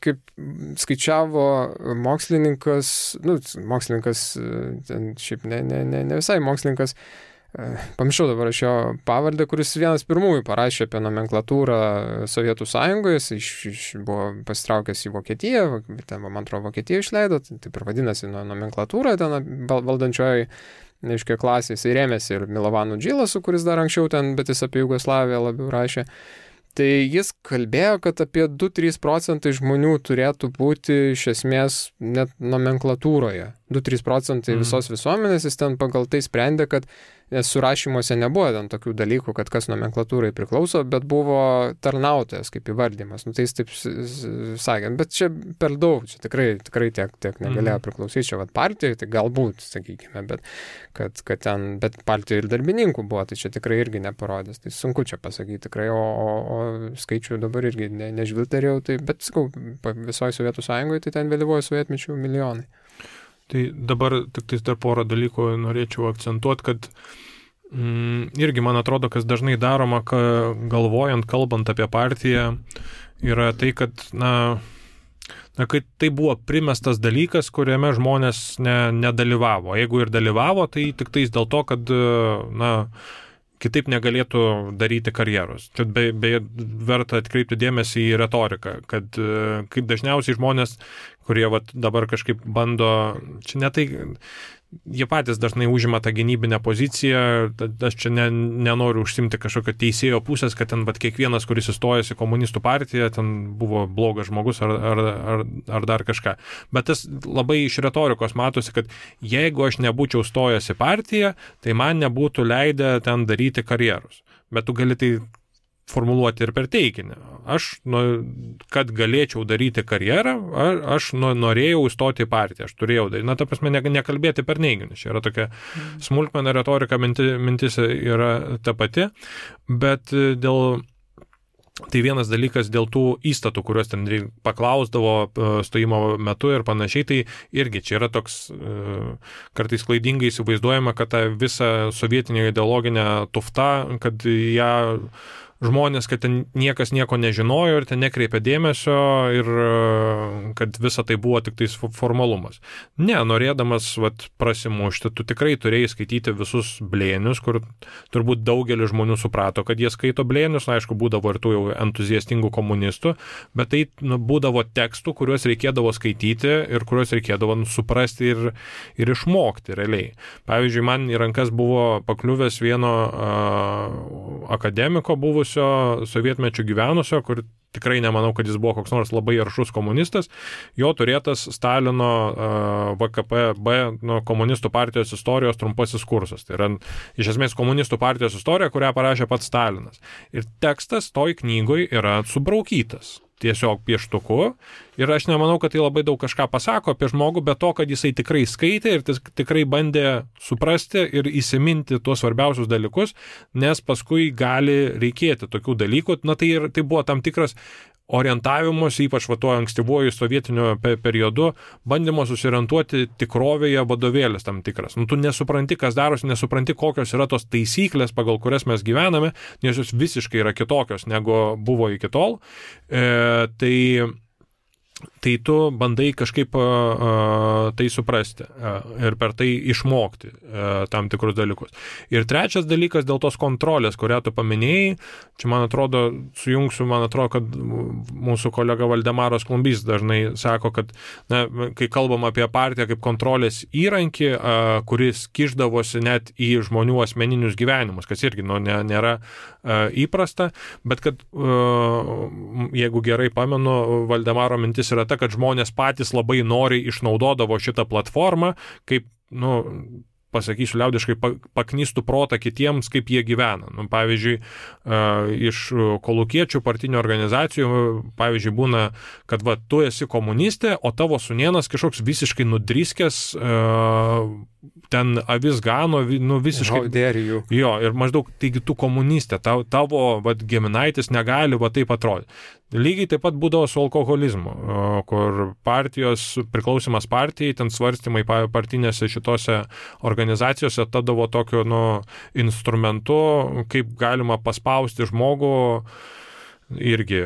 kaip skaičiavo mokslininkas, ten šiaip ne visai mokslininkas, pamiršau dabar aš jo pavardę, kuris vienas pirmųjų parašė apie nomenklatūrą Sovietų Sąjungoje, jis buvo pasitraukęs į Vokietiją, ten, man atrodo, Vokietiją išleido, taip ir vadinasi nomenklatūra, ten valdančioji, reiškia, klasė, jis rėmėsi ir Milovanu Džilasu, kuris dar anksčiau ten, bet jis apie Jugoslaviją labiau rašė. Tai jis kalbėjo, kad apie 2-3% žmonių turėtų būti iš esmės net nomenklatūroje. 2-3 procentai visos visuomenės, jis ten pagal tai sprendė, kad surašymuose nebuvo ten tokių dalykų, kad kas nomenklatūrai priklauso, bet buvo tarnautojas kaip įvardymas. Nu, tai jis taip sakė, bet čia per daug, čia tikrai tiek negalėjo priklausyti, čia partijai, tai galbūt, sakykime, bet partijai ir darbininkų buvo, tai čia tikrai irgi neparodės. Tai sunku čia pasakyti tikrai, o skaičių dabar irgi nežvilterėjau, tai, bet sakau, visoje Sovietų Sąjungoje, tai ten vėlyvojo sovietmečių milijonai. Tai dabar tik dar porą dalykų norėčiau akcentuoti, kad irgi man atrodo, kas dažnai daroma, galvojant, kalbant apie partiją, yra tai, kad, kad tai buvo primestas dalykas, kuriame žmonės nedalyvavo. Jeigu ir dalyvavo, tai tik tais dėl to, kad, kitaip negalėtų daryti karjeros. Čia beje verta atkreipti dėmesį į retoriką, kad kaip dažniausiai žmonės, kurie dabar kažkaip bando, čia ne tai, jie patys dažnai užima tą gynybinę poziciją, aš čia nenoriu užsimti kažkokio teisėjo pusės, kad ten kiekvienas, kuris įstojęs į komunistų partiją, ten buvo blogas žmogus ar dar kažką. Bet tas labai iš retorikos matosi, kad jeigu aš nebūčiau stojęs į partiją, tai man nebūtų leidę ten daryti karjeros. Bet tu gali tai formuluoti ir per teiginį. Aš, kad galėčiau daryti karjerą, aš norėjau įstoti į partiją, aš turėjau daryti. Ta prasme, nekalbėti per neiginius. Čia yra tokia smulkmena retorika, mintis yra ta pati, bet tai vienas dalykas dėl tų įstatų, kuriuos ten paklausdavo stojimo metu ir panašiai, tai irgi čia yra toks kartais klaidingai įsivaizduojama, kad ta visa sovietinė ideologinė tufta, kad ją žmonės, kad ten niekas nieko nežinojo ir ten nekreipė dėmesio ir kad visa tai buvo tik tais formalumas. Ne, norėdamas prasimušti, tu tikrai turėjai skaityti visus blėnius, kur turbūt daugelis žmonių suprato, kad jie skaito blėnius, aišku, būdavo ir tų jau entuziastingų komunistų, bet tai būdavo tekstų, kuriuos reikėdavo skaityti ir kuriuos reikėdavo suprasti ir išmokti realiai. Pavyzdžiui, man į rankas buvo pakliuvęs vieno akademiko buvusio sovietmečių gyvenusio, kur tikrai nemanau, kad jis buvo koks nors labai aršus komunistas, jo turėtas Stalino VKPB komunistų partijos istorijos trumpasis kursas. Tai yra iš esmės komunistų partijos istorija, kurią parašė pats Stalinas. Ir tekstas toj knygoj yra subraukytas tiesiog pieštuku ir aš nemanau, kad tai labai daug kažką pasako apie žmogų, bet to, kad jisai tikrai skaitė ir tikrai bandė suprasti ir įsiminti tuos svarbiausius dalykus, nes paskui gali reikėti tokių dalykų. Tai buvo tam tikras orientavimus, ypač tuo ankstyvuoju sovietiniu periodu, bandymo susiorientuoti tikrovėje vadovėlis tam tikras. Tu nesupranti, kas darosi, nesupranti, kokios yra tos taisyklės, pagal kurias mes gyvename, nes jos visiškai yra kitokios, negu buvo iki tol. Tai tu bandai kažkaip tai suprasti ir per tai išmokti tam tikrus dalykus. Ir trečias dalykas dėl tos kontrolės, kurią tu paminėjai, čia man atrodo, kad mūsų kolega Valdemaras Klumbys dažnai sako, kad kai kalbam apie partiją kaip kontrolės įrankį, kuris kišdavosi net į žmonių asmeninius gyvenimus, kas irgi nėra įprasta, bet kad jeigu gerai pamenu, Valdemaro mintis yra ta, kad žmonės patys labai noriai išnaudodavo šitą platformą, kaip, pasakysiu liaudiškai, paknistų protą kitiems, kaip jie gyvena. Pavyzdžiui, iš kolūkiečių partinių organizacijų, pavyzdžiui, būna, kad tu esi komunistė, o tavo sūnėnas kažkoks visiškai nudriskęs, ten avis gano, visiškai... Jo, ir maždaug, taigi tu komunistė, tavo giminaitis negali taip atrodyti. Lygiai taip pat būdavo su alkoholizmu, kur priklausimas partijai, ten svarstymai partinėse šitose organizacijose tadavo tokiu instrumentu, kaip galima paspausti žmogų irgi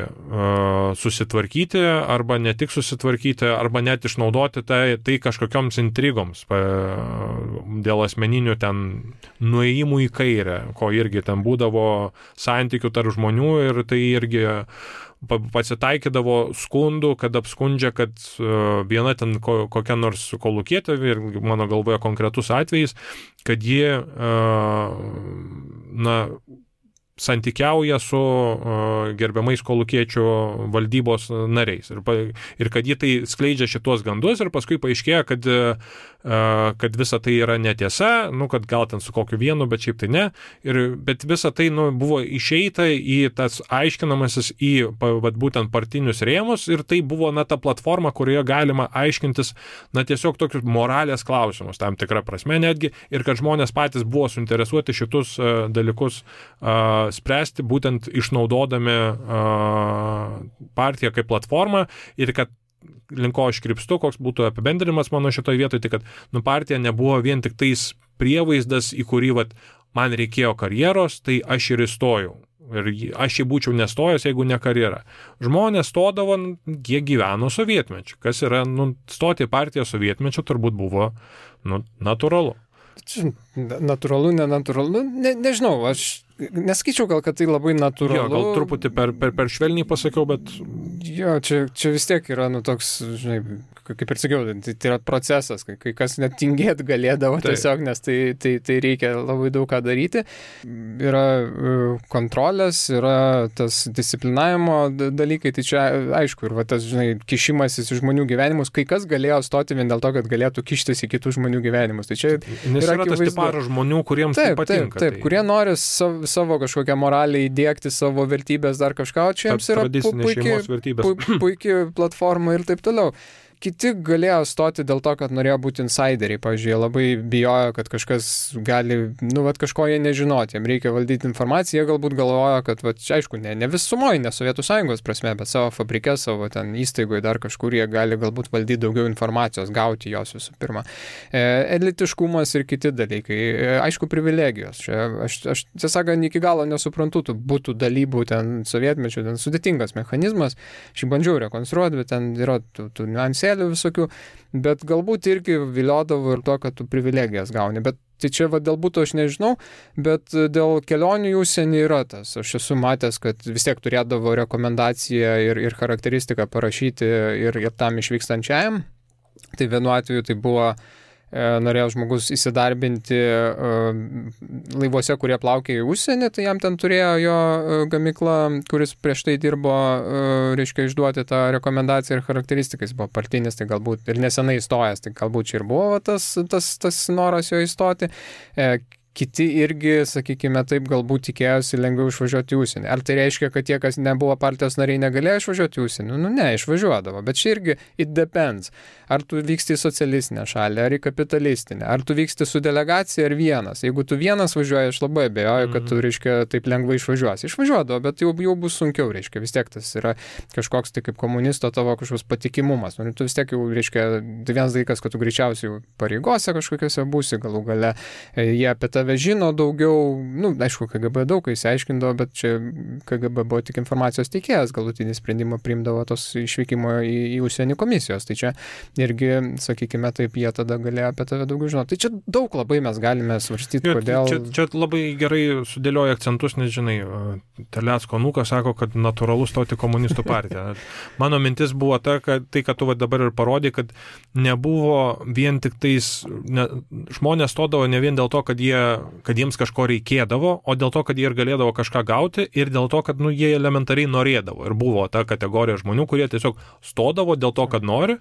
susitvarkyti, arba ne tik susitvarkyti, arba net išnaudoti tai kažkokioms intrigoms dėl asmeninių ten nuėjimų į kairę, ko irgi ten būdavo santykių tarp žmonių ir tai irgi pasitaikydavo skundų, kad apskundžia, kad viena ten kokia nors kolūkietė, ir mano galvoje konkretus atvejis, kad ji santykiauja su gerbiamais kolūkiečių valdybos nariais. Ir kad jie tai skleidžia šitos gandus ir paskui paaiškėja, kad visa tai yra netiesa, kad gal ten su kokiu vienu, bet šiaip tai ne. Bet visa tai buvo išeita į tas aiškinamasis į būtent partinius rėmus ir tai buvo ta platforma, kurioje galima aiškintis tiesiog tokius moralės klausimus, tam tikrą prasme netgi, ir kad žmonės patys buvo suinteresuoti šitus dalykus spręsti, būtent išnaudodami partiją kaip platformą ir kad link ko aš krypstu, koks būtų apibendrinimas mano šitoje vietoje, tai kad partija nebuvo vien tik tais prievaizdas, į kurį man reikėjo karjeros, tai aš ir įstojau. Ir aš jį būčiau nestojęs, jeigu ne karjera. Žmonės stodavo, jie gyveno sovietmečiu. Kas yra, stoti į partiją sovietmečiu turbūt buvo, natūralu. Natūralu, nenatūralu, nežinau, aš neskaičiau gal, kad tai labai natūralu. Jo, gal truputį per švelniai pasakiau, bet... Jo, čia vis tiek yra, toks, žinai, kaip ir sakiau, tai yra procesas, kai kas net tingėt galėdavo tiesiog, nes tai reikia labai daug ką daryti. Yra kontrolės, yra tas disciplinavimo dalykai, tai čia aišku, ir tas, žinai, kišimasis į žmonių gyvenimus, kai kas galėjo stoti vien dėl to, kad galėtų kištis į kitų žmonių gyvenimus. Tai čia yra tas tiparas žmonių, kuriems tai patinka. Taip, kurie nori savo kažkokią moralę įdėkti, savo vertybės, dar kažką, o čia jiems yra puikiai platforma ir taip toliau. Kiti galėjo stoti dėl to, kad norėjo būti insideriai. Pavyzdžiui, labai bijojo, kad kažkas gali, kažko jie nežinoti, jiems reikia valdyti informaciją, jie galbūt galvojo, kad, aišku, ne visumoje, ne Sovietų Sąjungos prasme, bet savo fabrike, savo ten įstaigoje dar kažkur jie gali galbūt valdyti daugiau informacijos, gauti jos visų pirma. Elitiškumas ir kiti dalykai. Aišku, privilegijos. Aš tiesąkant iki galo nesuprantu tų būtų dalybų ten sovietmečių, ten sudėtingas mechanizmas. Aš bandžiau rekonstruoti, bet ten yra tų niuansėlių visokių, bet galbūt irgi viliodavo ir to, kad tu privilegijas gauni. Bet tai čia dėl būtų aš nežinau, bet dėl kelionių į užsienį yra tas. Aš esu matęs, kad vis tiek turėdavo rekomendaciją ir charakteristiką parašyti ir tam išvykstančiajam. Tai vienu atveju tai buvo norėjo žmogus įsidarbinti laivuose, kurie plaukė į užsienį, tai jam ten turėjo jo gamykla, kuris prieš tai dirbo, reiškia, išduoti tą rekomendaciją ir charakteristiką. Jis buvo partinis, tai galbūt ir nesenai įstojęs, tai galbūt čia ir buvo tas noras jo įstoti. Kiti irgi, sakykime taip, galbūt tikėjosi lengviau išvažiuoti į užsienį. Ar tai reiškia, kad tie, kas nebuvo partijos nariai, negalėjo išvažiuoti į užsienį? Ne, išvažiuodavo. Bet čia irgi it depends. Ar tu vyksti į socialistinę šalį, ar į kapitalistinę, ar tu vyksti su delegacija, ar vienas. Jeigu tu vienas važiuoji, aš labai abejoju, kad tu, reiškia, taip lengvai išvažiuosi. Išvažiuodavo, bet jau bus sunkiau, reiškia. Vis tiek tas yra kažkoks tai kaip komunisto tavo kažkoks patikimumas. Tu vis tiek jau, reiškia, tai vienas dalykas, kad tu greičiausiai pareigose kažkokiose būsi, galų gale jie apie tave žino daugiau, aišku, KGB daug įsiaiškindavo, bet čia KGB buvo tik informacijos teikėjas, galutinį sprendimą priimdavo tos išvykimo į užsienį komisijos. Tai čia irgi, sakykime, taip, jie tada galėjo apie tave daugiau žinoti. Tai čia daug labai mes galime svarstyti, kodėl... Čia labai gerai sudėlioja akcentus, nes, žinai, Terlecko anūkas sako, kad natūralu stoti komunistų partiją. Mano mintis buvo ta, kad tu dabar ir parodė, kad nebuvo vien tik tais... Žmonės stodavo ne vien dėl to, kad jiems kažko reikėdavo, o dėl to, kad jie ir galėdavo kažką gauti ir dėl to, kad jie elementariai norėdavo. Ir buvo ta kategorija žmonių, kurie tiesiog stodavo dėl to, kad nori,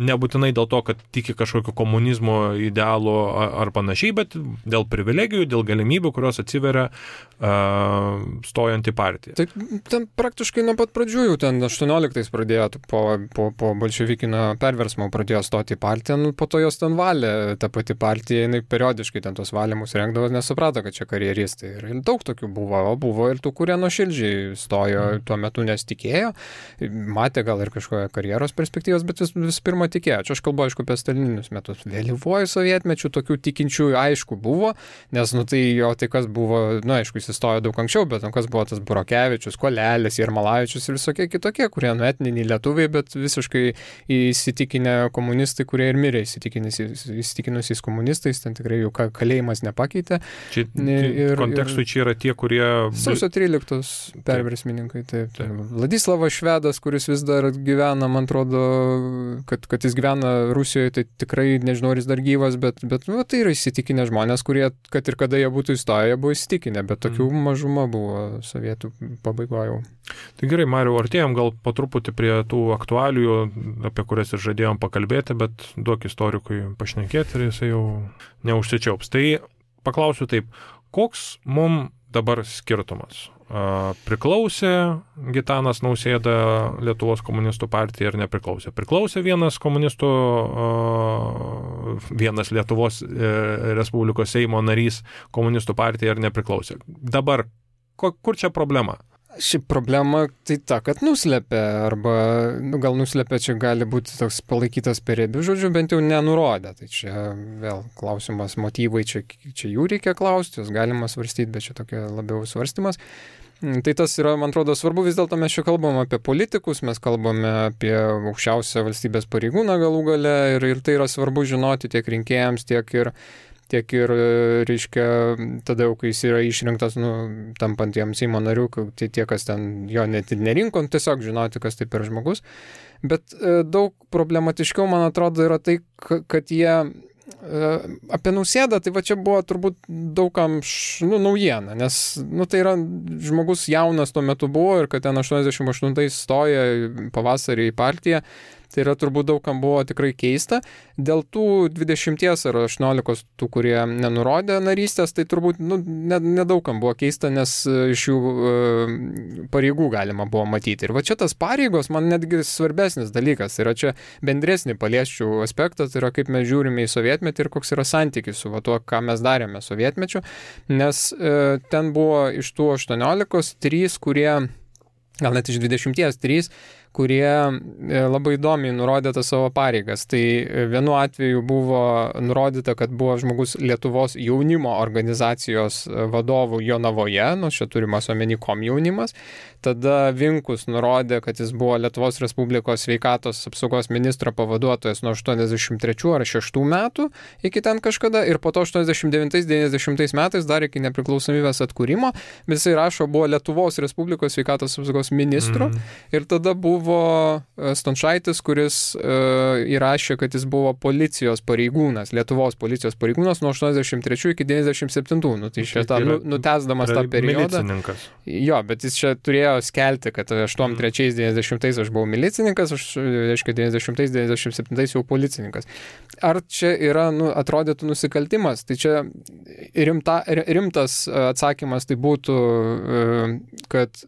nebūtinai dėl to, kad tiki kažkokio komunizmo idealų ar panašiai, bet dėl privilegijų, dėl galimybių, kurios atsiveria stojant į partiją. Tai ten praktiškai nuo pat pradžių jau ten 18 pradėjo, po bolševikinio perversmo pradėjo stoti į partiją, po to jos ten valė ta pati partija, jinai periodiškai ten tos valymus rengdavo, nesuprato, kad čia karjeristai. Ir daug tokių buvo ir tų, kurie nuoširdžiai stojo tuo metu, nes tikėjo, matė gal ir kažkokią karjeros perspektyvos, bet vis pirma tikėjo. Čia aš kalbu, aišku, apie stalininius metus. Vėlyvuoju sovietmečiu tokių tikinčiųjų aišku buvo, nes, tai kas buvo, aišku, jis įstojo daug anksčiau, bet kas buvo tas Burokevičius, Kolelis, Jermalavičius ir visokie kitokie, kurie etniniai lietuviai, bet visiškai įsitikinę komunistai, kurie ir mirė įsitikinusiais komunistais, ten tikrai jų kalėjimas nepakeitė. Kontekstui čia yra tie, kurie... Sausio 13 perversmininkai, taip. Vladislavas Švedas, kuris vis dar gyvena, man atrodo, kad kad jis gyvena Rusijoje, tai tikrai nežinau, ar jis dar gyvas, bet nu, tai yra įsitikinę žmonės, kurie, kad ir kada jie būtų įstoję, buvo įsitikinę, bet tokių mažuma buvo sovietų pabaigoje. Tai gerai, Mariau, artėjom gal po truputį prie tų aktualijų, apie kurias ir žadėjom pakalbėti, bet duok istorikui pašnekėti ir jisai jau neužsičiaups. Tai paklausiu taip, koks mums dabar skirtumas? Priklausė Gitanas Nausėda Lietuvos komunistų partijai ar nepriklausė? Priklausė vienas Lietuvos Respublikos Seimo narys komunistų partijai ar nepriklausė? Dabar, kur čia problema? Ši problema tai ta, kad nuslėpė, arba gal nuslėpė, čia gali būti toks palaikytas per riebių žodžių, bent jau nenurodė. Tai čia vėl klausimas, motyvai, čia jų reikia klausti, jos galima svarstyti, bet čia tokia labiau svarstymas. Tai tas yra, man atrodo, svarbu, vis dėlto mes čia kalbam apie politikus, mes kalbame apie aukščiausią valstybės pareigūną galų gale ir tai yra svarbu žinoti tiek rinkėjams, tiek ir, reiškia, tada jau, kai jis yra išrinktas, tampant jam Seimo nariu, tie, kas ten jo net nerinko, tiesiog žinoti, kas tai per žmogus. Bet daug problematiškiau, man atrodo, yra tai, kad jie apie Nausėdą, tai va čia buvo turbūt daugam naujiena, nes tai yra žmogus jaunas tuo metu buvo ir kad ten 88 stoja pavasarį į partiją, tai yra turbūt daugam buvo tikrai keista. Dėl tų 20 ar 18 tų, kurie nenurodė narystės, tai turbūt nedaugam buvo keista, nes iš jų pareigų galima buvo matyti. Ir va čia tas pareigos man netgi svarbesnis dalykas. Yra čia bendresnį paliesčių aspektą, tai yra kaip mes žiūrime į sovietmetį ir koks yra santykis su tuo, ką mes darėme sovietmečiu. Nes ten buvo iš tų 18 3, kurie, gal net iš 20 3, kurie labai įdomiai nurodė tas savo pareigas. Tai vienu atveju buvo nurodyta, kad buvo žmogus Lietuvos jaunimo organizacijos vadovų Jonavoje, čia turimas omeny komjaunimas. Tada Vinkus nurodė, kad jis buvo Lietuvos Respublikos sveikatos apsaugos ministro pavaduotojas nuo 83 ar 6 metų iki ten kažkada ir po to 89-90 metais dar iki nepriklausomybės atkūrimo, bet jisai rašo, buvo Lietuvos Respublikos sveikatos apsaugos ministru ir tada buvo Stončaitis, kuris įrašė, kad jis buvo policijos pareigūnas, Lietuvos policijos pareigūnas nuo 83 iki 97. Tai šitą nutesdamas tą periodą. Milicininkas. Jo, bet jis čia turėjo skelti, kad 83-90 aš buvau milicininkas, reiškia 90-97 jau policininkas. Ar čia yra, atrodytų nusikaltimas? Tai čia rimtas atsakymas tai būtų, kad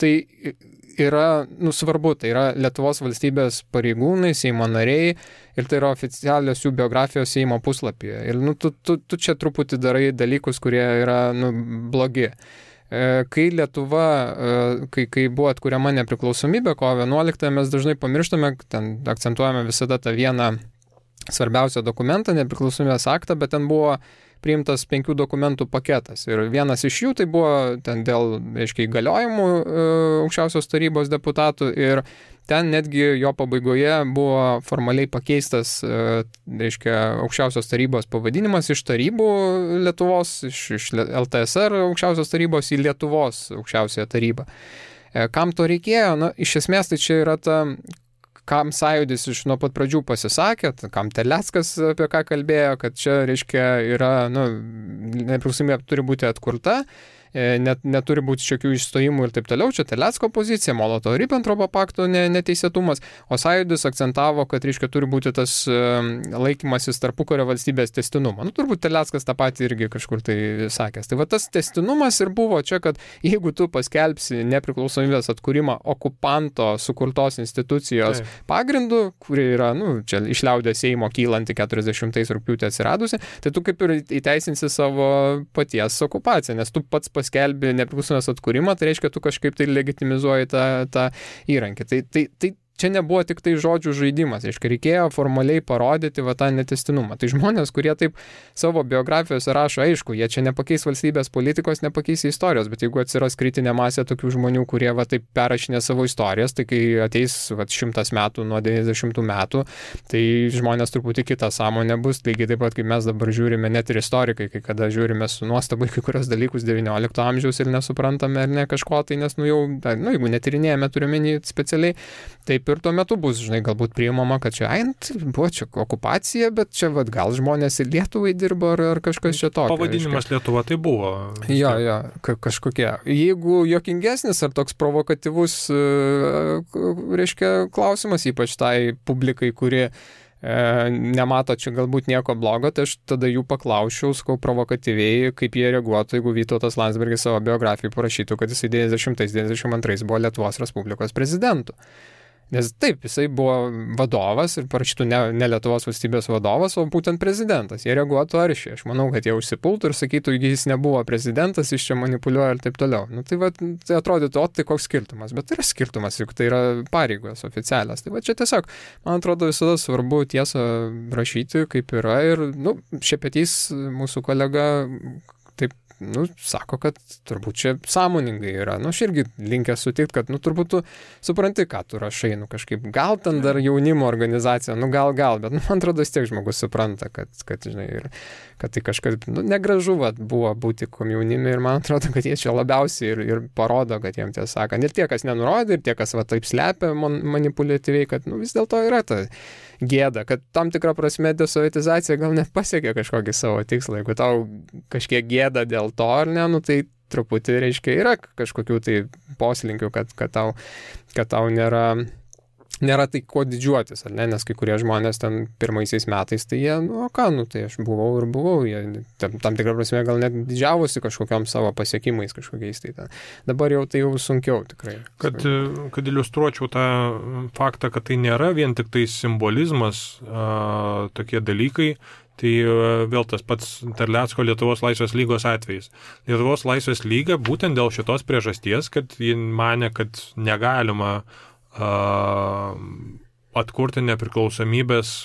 tai yra, svarbu, tai yra Lietuvos valstybės pareigūnai, Seimo nariai ir tai yra oficialios jų biografijos Seimo puslapyje. Ir tu čia truputį darai dalykus, kurie yra blogi. Kai Lietuva, kai buvo atkuriama nepriklausomybė, kovo 11, mes dažnai pamirštame, ten akcentuojame visada tą vieną svarbiausią dokumentą, nepriklausomybės aktą, bet ten buvo priimtas 5 dokumentų paketas. Ir vienas iš jų tai buvo ten dėl, reiškia, įgaliojimų aukščiausios tarybos deputatų ir ten netgi jo pabaigoje buvo formaliai pakeistas, reiškia, aukščiausios tarybos pavadinimas iš tarybų Lietuvos, iš LTSR aukščiausios tarybos į Lietuvos aukščiausiąją tarybą. Kam to reikėjo? Iš esmės tai čia yra ta, kam Sąjūdis iš nuo pat pradžių pasisakė, kam Terleckas apie ką kalbėjo, kad čia, reiškia, yra, nepriklausomybė turi būti atkurta, neturi būti šiokių išstojimų ir taip toliau. Čia Terlecko pozicija, Molotovo-Ribbentropo pakto neteisėtumas, o Sąjūdis akcentavo, kad, reiškia, turi būti tas laikymasis tarpukario valstybės tęstinumo. Turbūt Terleckas tą patį irgi kažkur tai sakęs. Tai va tas tęstinumas ir buvo čia, kad jeigu tu paskelbsi nepriklausomybės atkūrimą okupanto sukurtos institucijos pagrindu, kuri yra, čia iš liaudės Seimo kylanti 40 rugpjūtį atsiradusi, tai tu kaip ir įteisinsi savo paties okupaciją, nes tu pats paskelbi nepriklausomybės atkūrimą, tai reiškia, tu kažkaip tai legitimizuoji tą įrankį. Tai čia nebuvo tik tai žodžių žaidimas, reiškia, reikėjo formaliai parodyti tą netęstinumą. Tai žmonės, kurie taip savo biografijose rašo, aišku, jie čia nepakeis valstybės politikos, nepakeis istorijos, bet jeigu atsiras kritinė masė tokių žmonių, kurie taip perrašinė savo istorijas, tai kai ateis 100 metų nuo 90 metų, tai žmonės truputį kitą sąmonę bus, lygiai taip pat, kaip mes dabar žiūrime, net ir istorikai, kai kada žiūrime su nuostabai kai kurios dalykus 19 amžiaus ir nesuprantame ar ne kažko, tai nes, jeigu netyrinėjame, turime specialiai, taip taip ir tuo metu bus, žinai, galbūt priimama, kad čia, buvo čia okupacija, bet čia gal žmonės ir Lietuvai dirbo ar kažkas čia tokio. Pavadinimas Lietuva tai buvo. Jo, kažkokie. Jeigu juokingesnis ar toks provokatyvus, reiškia, klausimas, ypač tai publikai, kuri nemato čia galbūt nieko blogo, tai aš tada jų paklausčiau, sakau, provokatyviai, kaip jie reaguotų, jeigu Vytautas Landsbergis savo biografijai parašytų, kad jisai 90-92 buvo Lietuvos Respublikos prezidentu. Nes taip, jisai buvo vadovas ir parašytų ne Lietuvos valstybės vadovas, o būtent prezidentas. Jie reaguotų aršiai. Aš manau, kad jie užsipultų ir sakytų, jis nebuvo prezidentas, jis čia manipuliuoja ir taip toliau. Tai atrodytų, tai koks skirtumas. Bet tai yra skirtumas, juk tai yra pareigos oficialios. Tai čia tiesiog, man atrodo, visada svarbu tiesą rašyti, kaip yra. Ir, Šepetys, mūsų kolega, taip, sako, kad turbūt čia sąmoningai yra. Aš irgi linkęs sutikti, kad, turbūt tu supranti, ką tu rašai, kažkaip, gal ten dar jaunimo organizacija, gal, bet, man atrodo, vis tiek žmogus supranta, kad žinai, ir kad tai kažkas, negražu buvo būti komjaunime ir man atrodo, kad jie čia labiausiai ir parodo, kad jiems tiesą sakant, ir tie, kas nenurodė, ir tie, kas taip slepia manipuliatyviai, kad, vis dėlto yra ta gėda, kad tam tikrą prasme desovietizacija gal net pasiekė kažkokį savo tikslą. Jeigu tau kažkiek gėda dėl to, ar ne, tai truputį, reiškia, yra kažkokių tai poslinkių, kad tau nėra tai ko didžiuotis, ar ne, nes kai kurie žmonės ten pirmaisiais metais, tai jie, tai aš buvau, jie tam tikrą prasme gal net didžiavosi kažkokiam savo pasiekimais kažkokiais, tai dabar jau tai jau sunkiau tikrai. Kad iliustruočiau tą faktą, kad tai nėra vien tik tai simbolizmas, tokie dalykai, tai vėl tas pats Terlecko Lietuvos Laisvės lygos atvejis. Lietuvos Laisvės lyga būtent dėl šitos priežasties, kad ji manė, kad negalima atkurti nepriklausomybės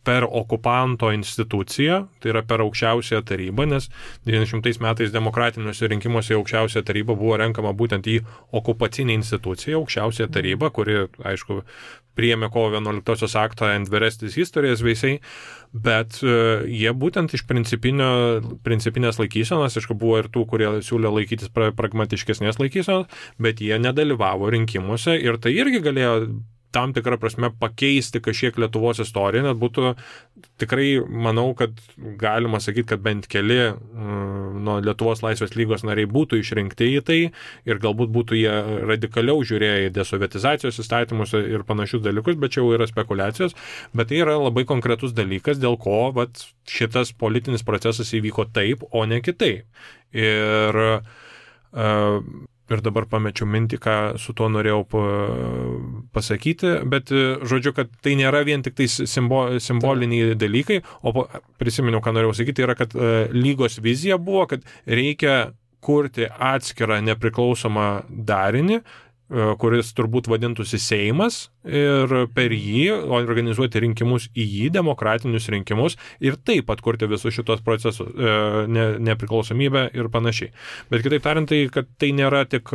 per okupanto instituciją, tai yra per aukščiausiąją tarybą, nes 90 metais demokratiniuose rinkimuose aukščiausiąją tarybą buvo renkama būtent į okupacinę instituciją, aukščiausiąją tarybą, kuri, aišku, priėmė kovo 11 aktą and the rest is history, veisiai, bet jie būtent iš principinės laikysenos, aišku, buvo ir tų, kurie siūlė laikytis pragmatiškesnės laikysenos, bet jie nedalyvavo rinkimuose ir tai irgi galėjo tam tikrą prasme pakeisti kažkiek Lietuvos istoriją, net būtų tikrai, manau, kad galima sakyti, kad bent keli Lietuvos Laisvės lygos nariai būtų išrinkti į tai ir galbūt būtų jie radikaliau žiūrėję į desovietizacijos įstatymus ir panašius dalykus, bet čia jau yra spekulacijos, bet tai yra labai konkretus dalykas, dėl ko šitas politinis procesas įvyko taip, o ne kitaip. Ir dabar pamečiau mintį, ką su tuo norėjau pasakyti, bet žodžiu, kad tai nėra vien tik tai simboliniai dalykai, o prisiminiau, ką norėjau sakyti, yra, kad lygos vizija buvo, kad reikia kurti atskirą nepriklausomą darinį, kuris turbūt vadintųsi Seimas ir per jį organizuoti rinkimus į jį, demokratinius rinkimus ir taip atkurti visus šitos procesus, nepriklausomybę ir panašiai. Bet kitaip tariant, tai, kad tai nėra tik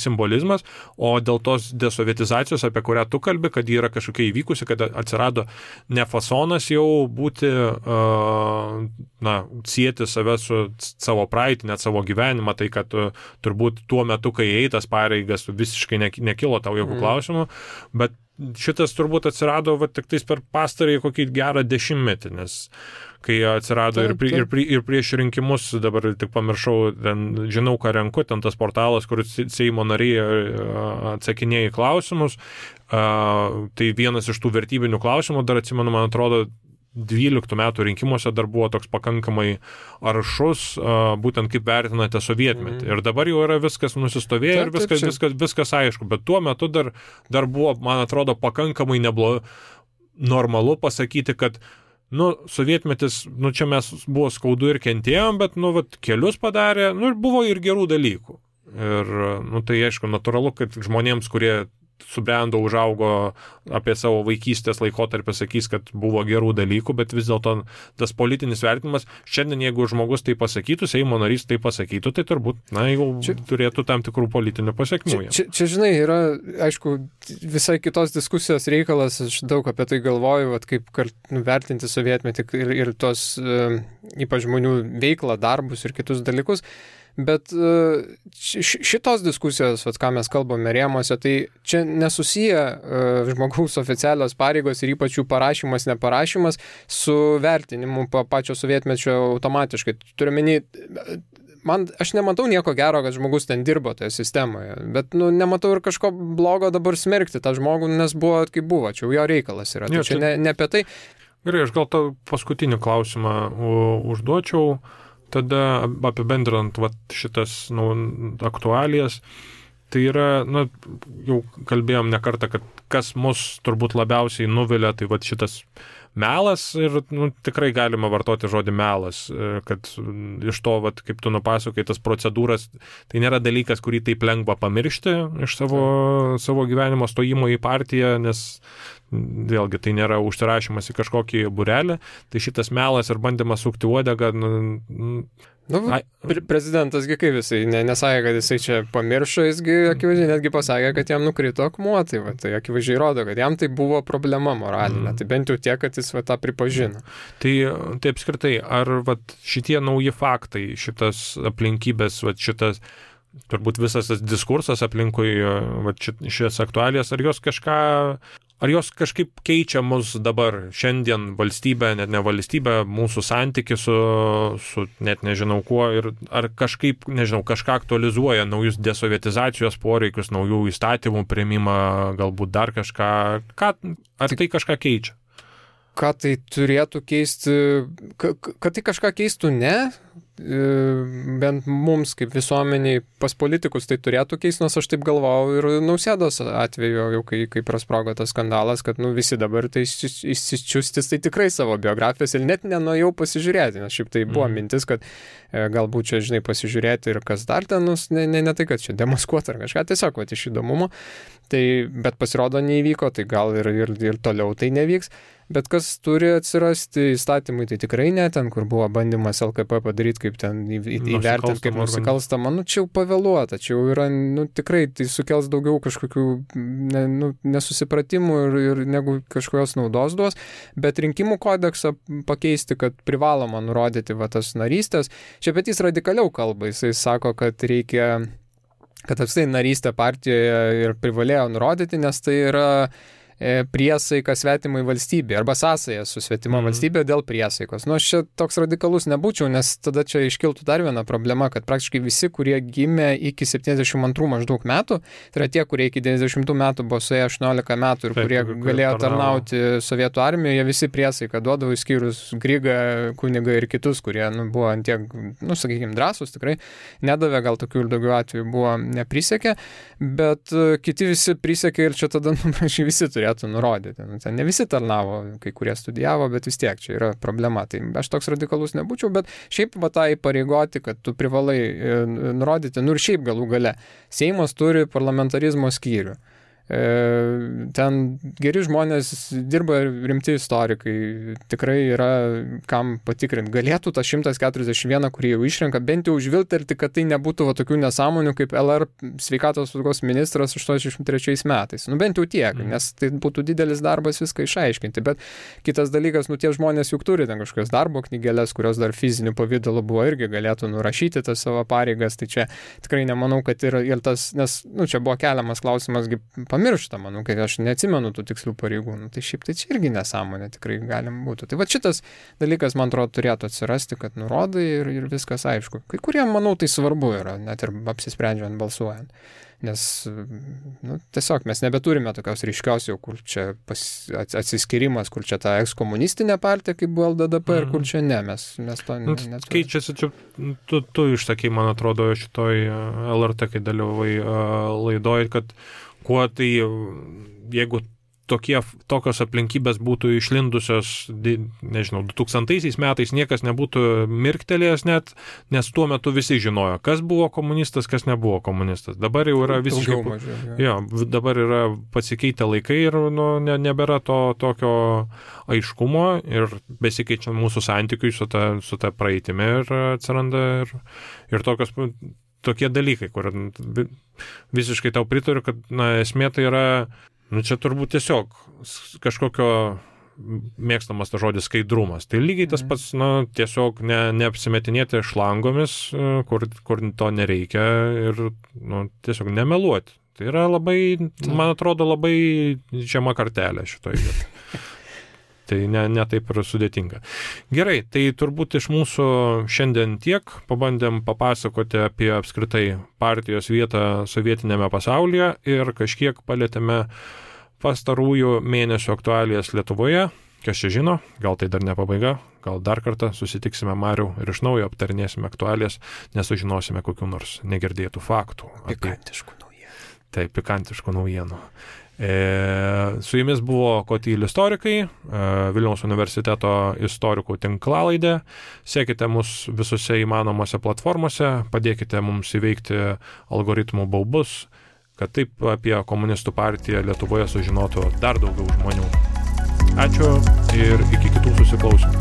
simbolizmas, o dėl tos desovietizacijos, apie kurią tu kalbi, kad ji yra kažkokia įvykusi, kad atsirado ne fasonas jau būti, sieti save su savo praeitį, net savo gyvenimą, tai kad turbūt tuo metu, kai eitas pareigas, visiškai nekilo tau jokių klausimų, bet šitas turbūt atsirado tik tais per pastarąjį kokį gerą dešimtmetį, nes kai atsirado ir prieš rinkimus, dabar tik pamiršau, žinau, ką renku, ten tas portalas, kur Seimo nariai atsakinėja į klausimus, tai vienas iš tų vertybinių klausimų, dar atsimenu, man atrodo, 12 metų rinkimuose dar buvo toks pakankamai aršus, būtent kaip vertinate sovietmetį. Ir dabar jau yra viskas nusistovėję ir viskas aišku, bet tuo metu dar buvo, man atrodo, pakankamai normalu pasakyti, kad sovietmetis, čia mes buvo skaudu ir kentėjom, bet, kelius padarė, ir buvo ir gerų dalykų. Ir, tai aišku, natūralu, kad žmonėms, kurie subrendo, užaugo apie savo vaikystės laikotarpį, sakys, kad buvo gerų dalykų, bet vis dėlto tas politinis vertinimas, šiandien jeigu žmogus tai pasakytų, Seimo narys tai pasakytų, tai turbūt, jau turėtų tam tikrų politinių pasiekmių. Čia, žinai, yra, aišku, visai kitos diskusijos reikalas, aš daug apie tai galvoju, kaip vertinti sovietmetį ir tos ypač žmonių veiklą, darbus ir kitus dalykus. Bet šitos diskusijos, vat, ką mes kalbame rėmose, tai čia nesusiję žmogaus oficialios pareigos ir ypač jų parašymas, neparašymas su vertinimu pačio sovietmečio automatiškai. Turiu menį, aš nematau nieko gero, kad žmogus ten dirbo toje sistemoje, bet nematau ir kažko blogo dabar smerkti tą žmogų, nes buvo kaip buvo, čia jo reikalas yra. Tai čia ne apie tai. Gerai, aš gal tą paskutinį klausimą užduočiau, tada apibendrinant šitas aktualijas. Tai yra, jau kalbėjom ne kartą, kad kas mus turbūt labiausiai nuvilia, tai šitas melas ir tikrai galima vartoti žodį melas, kad iš to, kaip tu nupasakai, tas procedūras, tai nėra dalykas, kurį taip lengva pamiršti iš savo gyvenimo stojimo į partiją, nes vėlgi tai nėra užsirašymas į kažkokį būrelį, tai šitas melas ir bandymas sukti uodegą. Prezidentasgi kaip jisai nesakė, kad jisai čia pamiršo, jisgi akivaizdžiai netgi pasakė, kad jam nukrito akmuo, tai akivaizdžiai rodo, kad jam tai buvo problema moralinė, tai bent jau tiek, kad jis tą pripažino. Tai apskritai, ar šitie nauji faktai, šitas aplinkybės, šitas turbūt visas tas diskursas aplinkui šias aktualijas, ar jos kažkaip keičia mus dabar, šiandien valstybę, net ne valstybę, mūsų santyki su net nežinau kuo, ir ar kažkaip, nežinau, kažką aktualizuoja, naujus desovietizacijos poreikius, naujų įstatymų priėmimą, galbūt dar kažką, ar tai kažką keičia? Ką tai turėtų keisti, kad tai kažką keistų, ne? Bent mums kaip visuomeniai pas politikus tai turėtų keisti, nors aš taip galvojau ir Nausėdos atveju, jau kai prasprogo tas skandalas, kad visi dabar tai išsičiustis tai tikrai savo biografijas ir net nenuėjau pasižiūrėti, nes šiaip tai buvo mintis, kad galbūt čia, žinai, pasižiūrėti ir kas dar ten, ne tai, kad čia demaskuoti ar kažką, tiesiog iš įdomumo, bet pasirodo neįvyko, tai gal ir toliau tai nevyks. Bet kas turi atsirasti įstatymai, tai tikrai ne ten, kur buvo bandymas LKP padaryti, kaip ten įvertinti, kaip nusikalstama. Čia jau pavėluota, čia jau yra, tikrai tai sukels daugiau kažkokių nesusipratimų ir negu kažkokios naudos duos. Bet rinkimų kodeksą pakeisti, kad privaloma nurodyti tas narystės. Čia Petys radikaliau kalba, jisai sako, kad reikia, kad apstai narystę partijoje ir privalėjo nurodyti, nes tai yra priesaika svetimai valstybė arba sąsaja su svetima valstybė dėl priesaikos. Aš čia toks radikalus nebūčiau, nes tada čia iškiltų dar viena problema, kad praktiškai visi, kurie gimė iki 72 maždaug metų, tai yra tie, kurie iki 90 metų buvo suėję 18 metų ir kurie galėjo tarnauti sovietų armijoje, jie visi priesaiką duodavo, išskyrus Grygą, kunigą ir kitus, kurie buvo ant tiek, sakykime, drąsūs, tikrai nedavė, gal tokių ir daugiau atvejų buvo neprisekė, bet kiti visi prisekė ir čia tada visi turėjo nurodyti. Ten ne visi tarnavo, kai kurie studijavo, bet vis tiek čia yra problema. Tai aš toks radikalus nebūčiau, bet šiaip tą įpareigoti, kad tu privalai nurodyti, ir šiaip galų gale. Seimas turi parlamentarizmo skyrių. Ten geri žmonės dirba, rimti istorikai, tikrai yra kam patikrinti. Galėtų tą 141, kurį jau išrenka, bent jau užvilterti, kad tai nebūtų tokių nesąmonių kaip LR sveikatos apsaugos ministras 83 metais. Bent jau tiek, nes tai būtų didelis darbas viską išaiškinti. Bet kitas dalykas, tie žmonės juk turi ten kažkokias darbo knygelės, kurios dar fiziniu pavidalu buvo, irgi galėtų nurašyti tas savo pareigas. Tai čia tikrai nemanau, kad ir tas, nes čia buvo keliamas klausimas, pamiršta, manau, kad aš neatsimenu tų tikslių pareigūnų. Tai šiaip tai čia irgi nesąmonė tikrai galim būtų. Tai šitas dalykas, man atrodo, turėtų atsirasti, kad nurodai ir viskas aišku. Kai kurie, manau, tai svarbu yra, net ir apsisprendžiant balsuojant. Nes tiesiog mes nebeturime tokios ryškios jau, kur čia atsiskirimas, kur čia ta ekskomunistinė partija, kaip buvo LDDP, ir kur čia ne, mes to neturime. Keičiasi, čia tu išsakai, man atrodo, šitoj LRT, kai dalyvai laidoj, kad kuo tai, jeigu tokios aplinkybės būtų išlindusios, nežinau, 2000 metais niekas nebūtų mirktelėjęs net, nes tuo metu visi žinojo, kas buvo komunistas, kas nebuvo komunistas. Dabar jau yra visiškai... dabar yra pasikeitę laikai ir nebėra to tokio aiškumo ir besikeičiant mūsų santykiui su ta praeitimi ir atsiranda ir tokie dalykai, kur visiškai tau pritariu, kad esmė tai yra čia turbūt tiesiog kažkokio mėgstamas tas žodis skaidrumas. Tai lygiai tas pats, tiesiog neapsimetinėti šlangomis, kur to nereikia ir tiesiog nemeluoti. Tai yra labai, man atrodo, labai žema kartelė šitoje vietoje. Tai ne taip ir sudėtinga. Gerai, tai turbūt iš mūsų šiandien tiek. Pabandėm papasakoti apie apskritai partijos vietą sovietinėme pasaulyje ir kažkiek palėtėme pastarųjų mėnesių aktualijas Lietuvoje. Kas čia žino, gal tai dar ne pabaiga, gal dar kartą susitiksime Mariau ir iš naujo aptarinėsime aktualijas, nesužinosime kokių nors negirdėtų faktų. Pikantiškų naujienų. Taip, pikantiškų naujienų. Su jumis buvo Kotyl istorikai, Vilniaus universiteto istorikų tinklalaidė. Sekite mus visose įmanomose platformose, padėkite mums įveikti algoritmų baubus, kad taip apie komunistų partiją Lietuvoje sužinotų dar daugiau žmonių. Ačiū ir iki kitų susiklausimų.